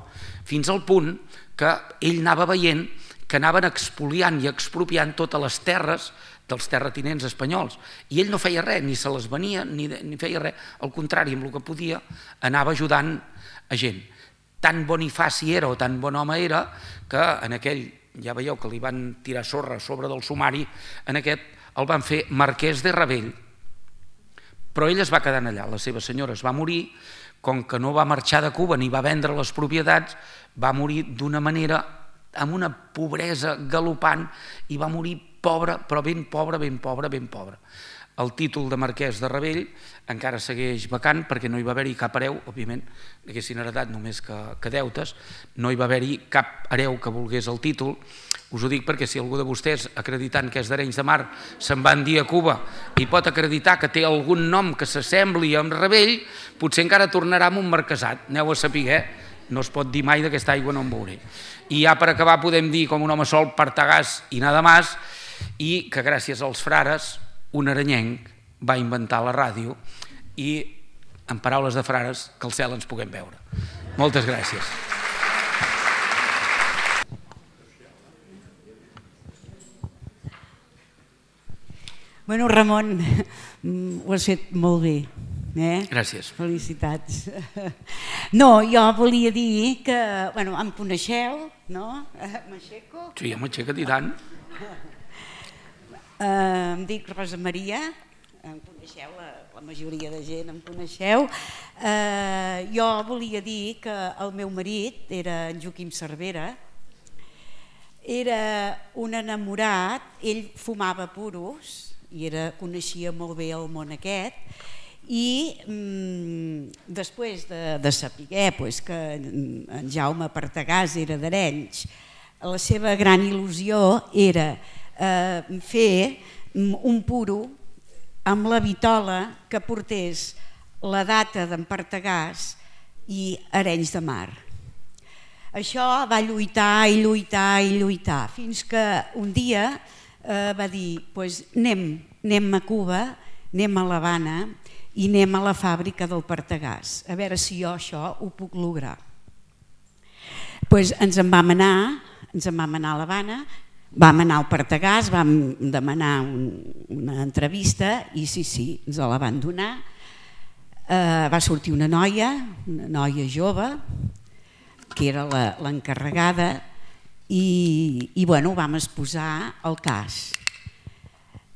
fins al punt que ell anava veient que anaven expoliant i expropiant totes les terres dels terratinents espanyols. I ell no feia res, ni se les venia, ni feia res. Al contrari, amb el que podia, anava ajudant a gent. tan bonifaci era o tan bon home era que en aquell, ja veieu que li van tirar sorra a sobre del sumari, en aquest el van fer marquès de Ravell, però ell es va quedar allà, la seva senyora es va morir, com que no va marxar de Cuba ni va vendre les propietats, va morir d'una manera, amb una pobresa galopant, i va morir pobre, però ben pobre, ben pobre, ben pobre. El títol de marquès de Ravell encara segueix vacant perquè no hi va haver-hi cap hereu, òbviament, haguessin heretat només que, que deutes, no hi va haver-hi cap hereu que volgués el títol. Us ho dic perquè si algú de vostès, acreditant que és d'Arenys de Mar, se'n van dir a Cuba i pot acreditar que té algun nom que s'assembli amb Ravell, potser encara tornarà amb un marquesat, aneu a saber, eh? No es pot dir mai d'aquesta aigua no en veuré. I ja per acabar podem dir com un home sol, Partagàs i nada más, i que gràcies als frares un arenyenc va inventar la ràdio i, en paraules de frares, que al cel ens puguem veure. Moltes gràcies. Bueno, Ramon, ho has fet molt bé. Eh? Gràcies. Felicitats. No, jo volia dir que, bueno, em coneixeu, no? M'aixeco? Sí, m'aixeca't i tant. Uh, em dic Rosa Maria, em coneixeu, la, la majoria de gent em coneixeu. Uh, jo volia dir que el meu marit era en Joaquim Cervera, era un enamorat, ell fumava puros i era, coneixia molt bé el món aquest, i mm, després de, de saber pues, que en Jaume Partagàs era d'Arenys, la seva gran il·lusió era Eh, fer un puro amb la vitola que portés la data d'en Partagàs i Arenys de Mar. Això va lluitar i lluitar i lluitar fins que un dia eh, va dir pues, anem, anem a Cuba, anem a l'Havana i anem a la fàbrica del Partagàs a veure si jo això ho puc lograr. Pues ens en vam anar, ens en vam anar a l'Havana. Vam anar al Partagàs, vam demanar un, una entrevista i sí, sí, ens la van donar. Eh, va sortir una noia, una noia jove, que era l'encarregada i, i bueno, vam exposar el cas.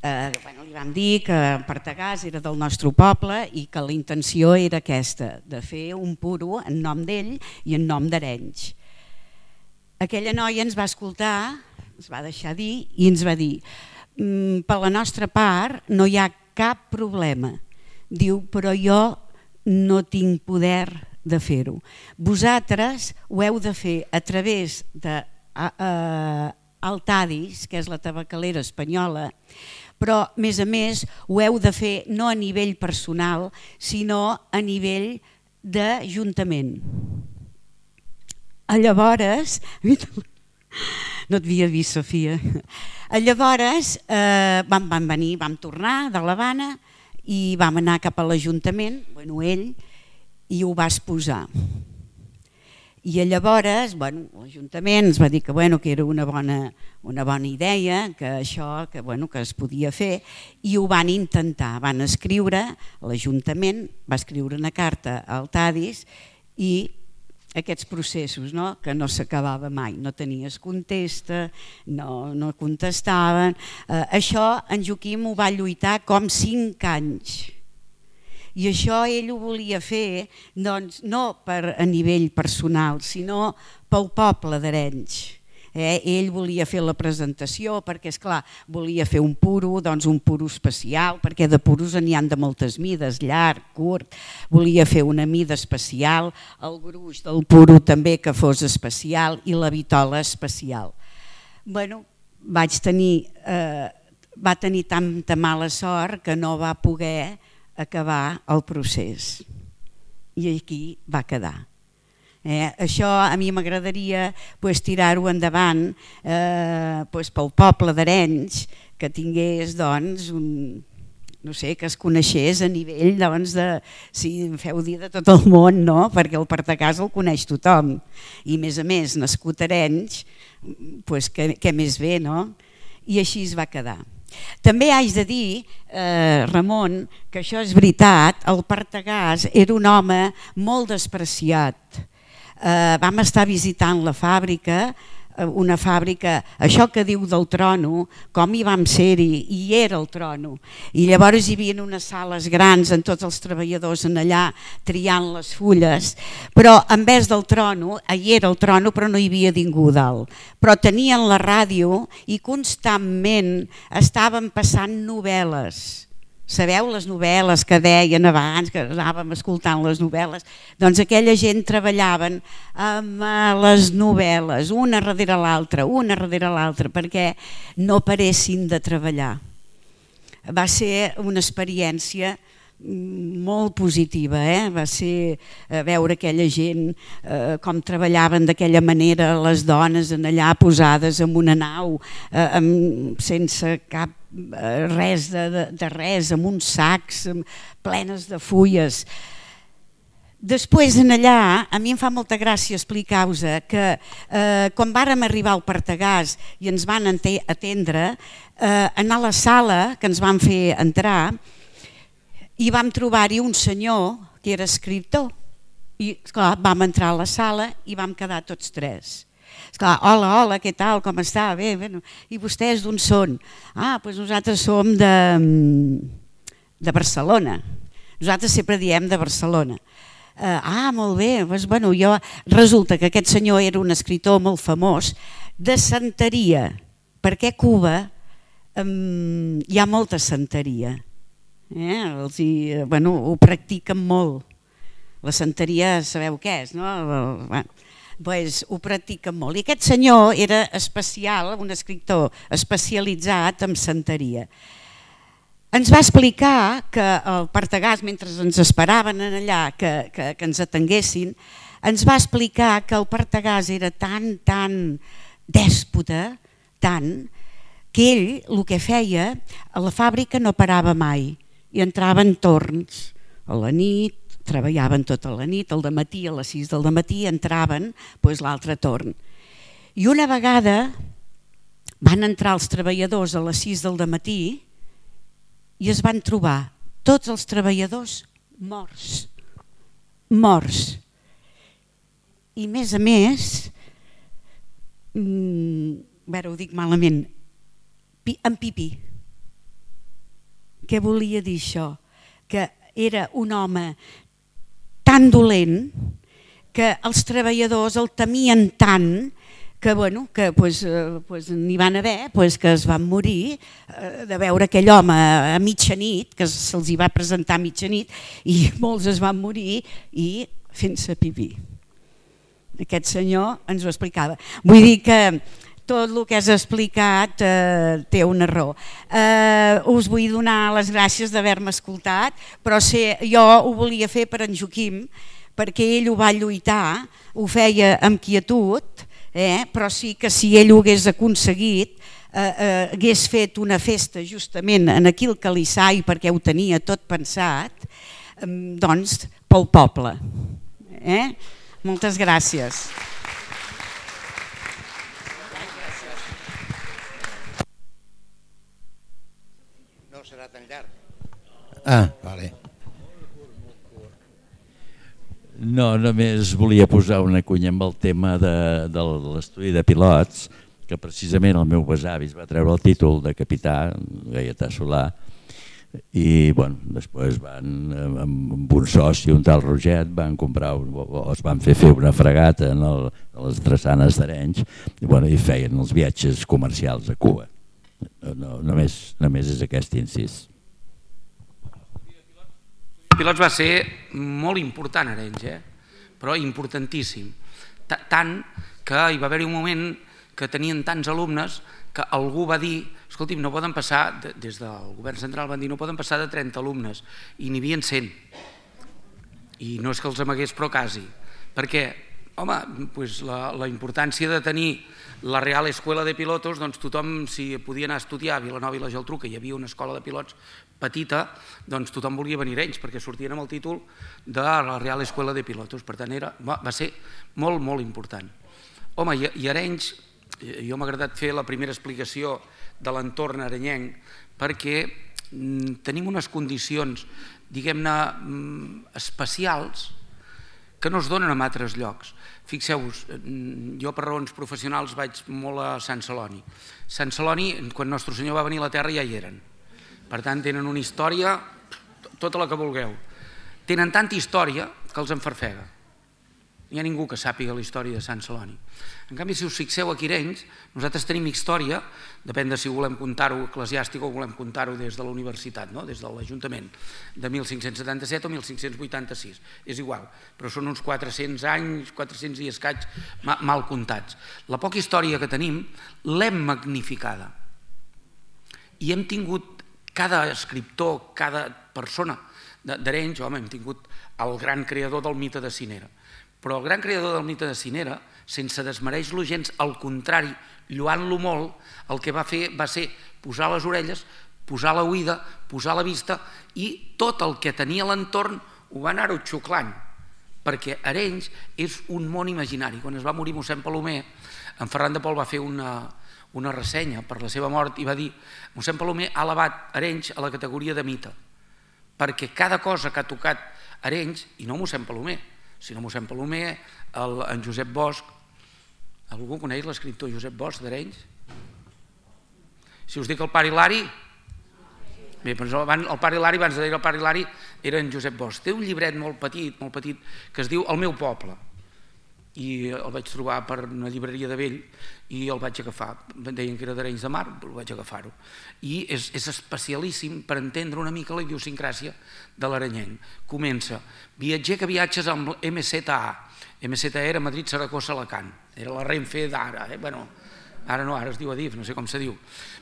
Eh, bueno, li vam dir que Partagàs era del nostre poble i que la intenció era aquesta, de fer un puro en nom d'ell i en nom d'Arenys. Aquella noia ens va escoltar, ens va deixar dir i ens va dir mm, per la nostra part no hi ha cap problema. Diu, però jo no tinc poder de fer-ho. Vosaltres ho heu de fer a través de uh, uh, Altadis, que és la tabacalera espanyola, però a més a més ho heu de fer no a nivell personal, sinó a nivell d'ajuntament. Llavors, no et havia vist, Sofia. Llavors eh, vam, vam venir, vam tornar de l'Havana i vam anar cap a l'Ajuntament, bueno, ell, i ho va exposar. I llavors bueno, l'Ajuntament ens va dir que, bueno, que era una bona, una bona idea, que això que, bueno, que es podia fer, i ho van intentar. Van escriure, l'Ajuntament va escriure una carta al Tadis i aquests processos, no? Que no s'acabava mai, no tenies contesta, no, no contestaven. Eh, això en Joaquim ho va lluitar com cinc anys. I això ell ho volia fer doncs, no per a nivell personal, sinó pel poble d'Arenys. Eh? Ell volia fer la presentació perquè, esclar, volia fer un puro, doncs un puro especial, perquè de puros n'hi ha de moltes mides, llarg, curt. Volia fer una mida especial, el gruix del puro també que fos especial i la vitola especial. Bueno, vaig tenir, eh, va tenir tanta mala sort que no va poder acabar el procés. I aquí va quedar. Eh, això a mi m'agradaria pues, tirar-ho endavant eh, pues, pel poble d'Arenys, que tingués doncs, un, no sé, que es coneixés a nivell doncs, de, si em feu dir, de tot el món, no? Perquè el Partagàs el coneix tothom i a més a més nascut a Arenys, pues, què, què més bé, no? I així es va quedar. També haig de dir, eh, Ramon, que això és veritat, el Partagàs era un home molt despreciat. eh, vam estar visitant la fàbrica, una fàbrica, això que diu del trono, com hi vam ser-hi, i era el trono, i llavors hi havia unes sales grans amb tots els treballadors en allà triant les fulles, però en vez del trono, hi era el trono però no hi havia ningú dalt, però tenien la ràdio i constantment estaven passant novel·les. Sabeu les novel·les que deien abans, que anàvem escoltant les novel·les? Doncs aquella gent treballaven amb les novel·les, una darrere l'altra, una darrere l'altra, perquè no paressin de treballar. Va ser una experiència molt positiva, eh? Va ser veure aquella gent eh, com treballaven d'aquella manera, les dones en allà posades en una nau eh, amb, sense cap eh, res de, de, de res, amb uns sacs amb, plenes de fulles. Després en allà, a mi em fa molta gràcia explicar-vos que eh, quan vàrem arribar al Partagàs i ens van atendre, eh, anar a la sala que ens van fer entrar, i vam trobar-hi un senyor que era escriptor i esclar, vam entrar a la sala i vam quedar tots tres. Esclar, hola, hola, què tal, com està? Bé, bé. I vostès d'on són? Ah, doncs nosaltres som de, de Barcelona. Nosaltres sempre diem de Barcelona. Uh, ah, molt bé. Doncs, bueno, jo, resulta que aquest senyor era un escriptor molt famós de santeria, perquè a Cuba um, hi ha molta santeria. Eh, els hi, bueno, ho practiquen molt. La santeria sabeu què és, no? Bueno, pues, ho practiquen molt. I aquest senyor era especial, un escriptor especialitzat en santeria. Ens va explicar que el Partagàs, mentre ens esperaven allà que, que, que ens atenguessin, ens va explicar que el Partagàs era tan, tan dèspota, tant, que ell el que feia, a la fàbrica no parava mai, i entraven torns a la nit, treballaven tota la nit, al dematí, a les sis del dematí entraven doncs, l'altre torn. I una vegada van entrar els treballadors a les sis del dematí i es van trobar tots els treballadors morts, morts. I més a més, mmm, ara ho dic malament, en pipí. Què volia dir això? Que era un home tan dolent que els treballadors el temien tant que, bueno, que pues, pues, n'hi van haver pues, que es van morir eh, de veure aquell home a mitjanit, que se'ls hi va presentar a mitjanit, i molts es van morir i fent-se pipí. Aquest senyor ens ho explicava. Vull dir que tot el que has explicat eh, té una raó. Eh, us vull donar les gràcies d'haver-me escoltat, però sé, jo ho volia fer per en Joaquim, perquè ell ho va lluitar, ho feia amb quietud, eh, però sí que si ell ho hagués aconseguit, eh, eh, hagués fet una festa justament en aquí al Calissai, perquè ho tenia tot pensat, eh, doncs pel poble. Eh? Moltes gràcies. Serà tan llarg. Ah, vale. No, només volia posar una cunya amb el tema de, de l'estudi de pilots, que precisament el meu besavi es va treure el títol de capità, Gaietà Solà, i bueno, després van, amb un soci, un tal Roget, van comprar, o es van fer fer una fregata en el, a les drassanes d'Arenys i, bueno, i feien els viatges comercials a Cuba. No, només, només és aquest incís. El pilots va ser molt important a Arenys, eh? Però importantíssim. Tant que hi va haver-hi un moment que tenien tants alumnes que algú va dir, escolti'm, no poden passar, des del govern central van dir, no poden passar de trenta alumnes, i n'hi havia cent. I no és que els amagués, però quasi. Perquè, home, doncs la, la importància de tenir la Real Escuela de Pilotos, doncs tothom, si podia anar a estudiar a Vilanova i la Geltrú, que hi havia una escola de pilots petita, doncs tothom volia venir a Arenys, perquè sortien amb el títol de la Real Escuela de Pilotos. Per tant, era, va, va ser molt, molt important. Home, i, i Arenys, jo m'ha agradat fer la primera explicació de l'entorn arenyenc, perquè mm, tenim unes condicions, diguem-ne, mm, especials, que no es donen en altres llocs. Fixeu-vos, jo per raons professionals vaig molt a Sant Celoni. Sant Celoni, quan Nostre Senyor va venir a la Terra ja hi eren. Per tant, tenen una història, tota la que vulgueu. Tenen tanta història que els enfarfega. No hi ha ningú que sàpiga la història de Sant Celoni. En canvi, si us fixeu aquí a Arenys, nosaltres tenim història, depèn de si volem contar-ho eclesiàstic o volem contar-ho des de la universitat, des de l'Ajuntament, de mil cinc-cents setanta-set o mil cinc-cents vuitanta-sis. És igual, però són uns quatre-cents anys, quatre-cents i escaig mal comptats. La poca història que tenim l'hem magnificada. I hem tingut, cada escriptor, cada persona d'Arenys, home, hem tingut el gran creador del mite de Cinera. Però el gran creador del mite de Cinera, sense desmereix-lo gens, al contrari, lluant-lo molt, el que va fer va ser posar les orelles, posar la oïda, posar la vista i tot el que tenia a l'entorn ho va anar-ho xuclant, perquè Arenys és un món imaginari. Quan es va morir mossèn Palomer, en Ferran de Pol va fer una, una ressenya per la seva mort i va dir: mossèn Palomer ha elevat Arenys a la categoria de mite, perquè cada cosa que ha tocat Arenys, i no mossèn Palomer, sinó mossèn Palomer, en Josep Bosch. Algú coneix l'escriptor Josep Bosch d'Arenys? Si us dic el pare Hilari, bé, el pare Hilari, abans de dir el pare Hilari, era en Josep Bosch. Té un llibret molt petit, molt petit, que es diu El meu poble. I el vaig trobar per una llibreria de vell i el vaig agafar. Deien que era d'Arenys de Mar, però vaig agafar-ho. I és, és especialíssim per entendre una mica la idiosincràsia de l'arenyenc. Comença: viatger que viatges amb M Z A. M Z A era Madrid, Saragossa, Alacant. Era la Renfe d'ara. Eh? Bueno, ara no, ara es diu Adif, no sé com se diu.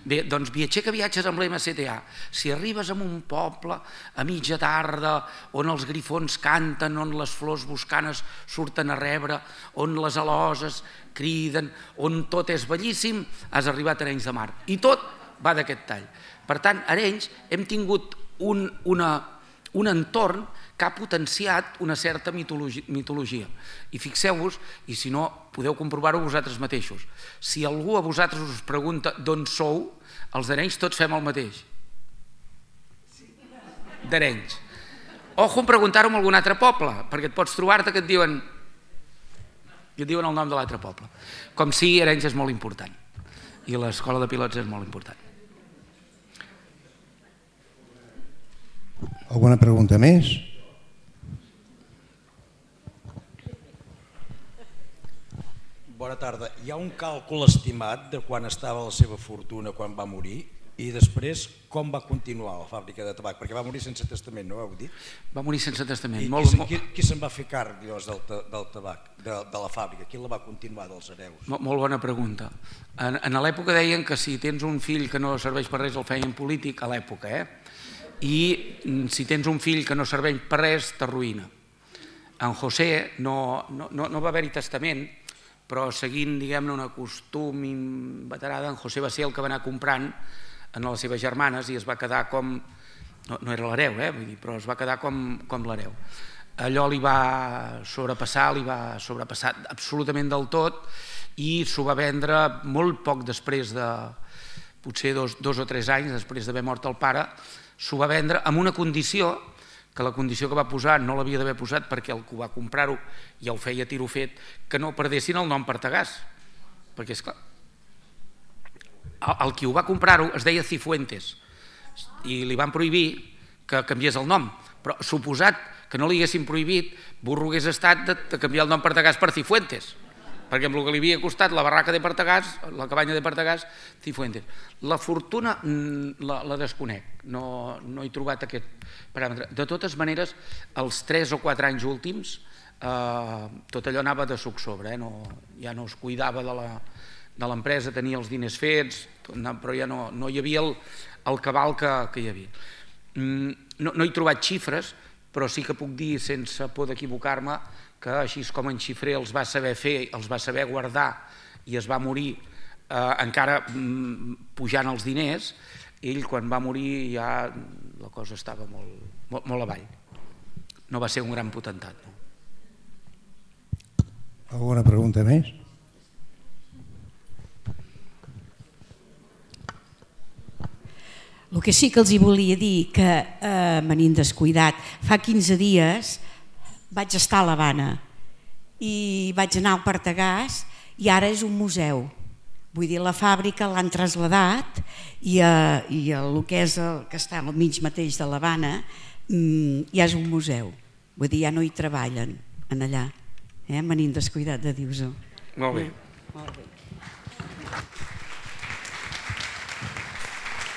Bé, doncs viatger que viatges amb l'M Z A. Si arribes a un poble a mitja tarda on els grifons canten, on les flors boscanes surten a rebre, on les aloses criden, on tot és bellíssim, has arribat a Arenys de Mar. I tot va d'aquest tall. Per tant, a Arenys hem tingut un, una, un entorn que ha potenciat una certa mitologia. I fixeu-vos, i si no, podeu comprovar-ho vosaltres mateixos. Si algú a vosaltres us pregunta d'on sou, els d'Arenys tots fem el mateix. D'Arenys. Ojo en preguntar-ho en algun altre poble, perquè et pots trobar-te que et diuen i et diuen el nom de l'altre poble. Com si Arenys és molt important. I l'escola de pilots és molt important. Alguna pregunta més? Bona tarda. Hi ha un càlcul estimat de quan estava la seva fortuna quan va morir i després com va continuar la fàbrica de tabac? Perquè va morir sense testament, no ho heu dit? Va morir sense testament. I qui, qui, qui se'n va fer càrrec del, del tabac, de, de la fàbrica? Qui la va continuar dels hereus? Molt, molt bona pregunta. En, en l'època deien que si tens un fill que no serveix per res el feien polític, a l'època, eh? I si tens un fill que no serveix per res, t'arruïna. En José no, no, no, no va haver-hi testament, però seguint, diguem-ne, un costum inveterada, en José va ser el que va anar comprant en les seves germanes i es va quedar com... No, no era l'hereu, eh? Vull dir, però es va quedar com, com l'hereu. Allò li va sobrepassar, li va sobrepassar absolutament del tot i s'ho va vendre molt poc després de... potser dos, dos o tres anys després d'haver mort el pare, s'ho va vendre amb una condició que la condició que va posar no l'havia d'haver posat perquè el que va comprar-ho ja ho feia tiro fet, que no perdessin el nom Partagàs. Perquè, esclar, el qui ho va comprar-ho es deia Cifuentes i li van prohibir que canviés el nom, però suposat que no li haguessin prohibit, burro hagués estat de, de canviar el nom Partagàs per Cifuentes, perquè amb el que li havia costat la barraca de Partagàs, la cabanya de Partagàs, Cifuentes. La fortuna la, la desconec, no, no he trobat aquest paràmetre. De totes maneres, els tres o quatre anys últims, eh, tot allò anava de suc sobre, eh? No, ja no es cuidava de l'empresa, tenia els diners fets, però ja no, no hi havia el, el cabal que, que hi havia. No, no he trobat xifres, però sí que puc dir, sense por d'equivocar-me, que així com en Xifré els va saber fer, els va saber guardar i es va morir eh, encara mm, pujant els diners, ell quan va morir ja la cosa estava molt, molt, molt avall. No va ser un gran potentat. No? Alguna pregunta més? El que sí que els hi volia dir, que eh, me n'he descuidat, fa quinze dies vaig estar a l'Havana i vaig anar al Partagàs i ara és un museu. Vull dir, la fàbrica l'han trasladat i, a, i a el que és el que està al mig mateix de l'Havana ja és un museu. Vull dir, ja no hi treballen en allà. Eh? Me n'he descuidat de dir-vos-ho. Molt bé. Molt bé.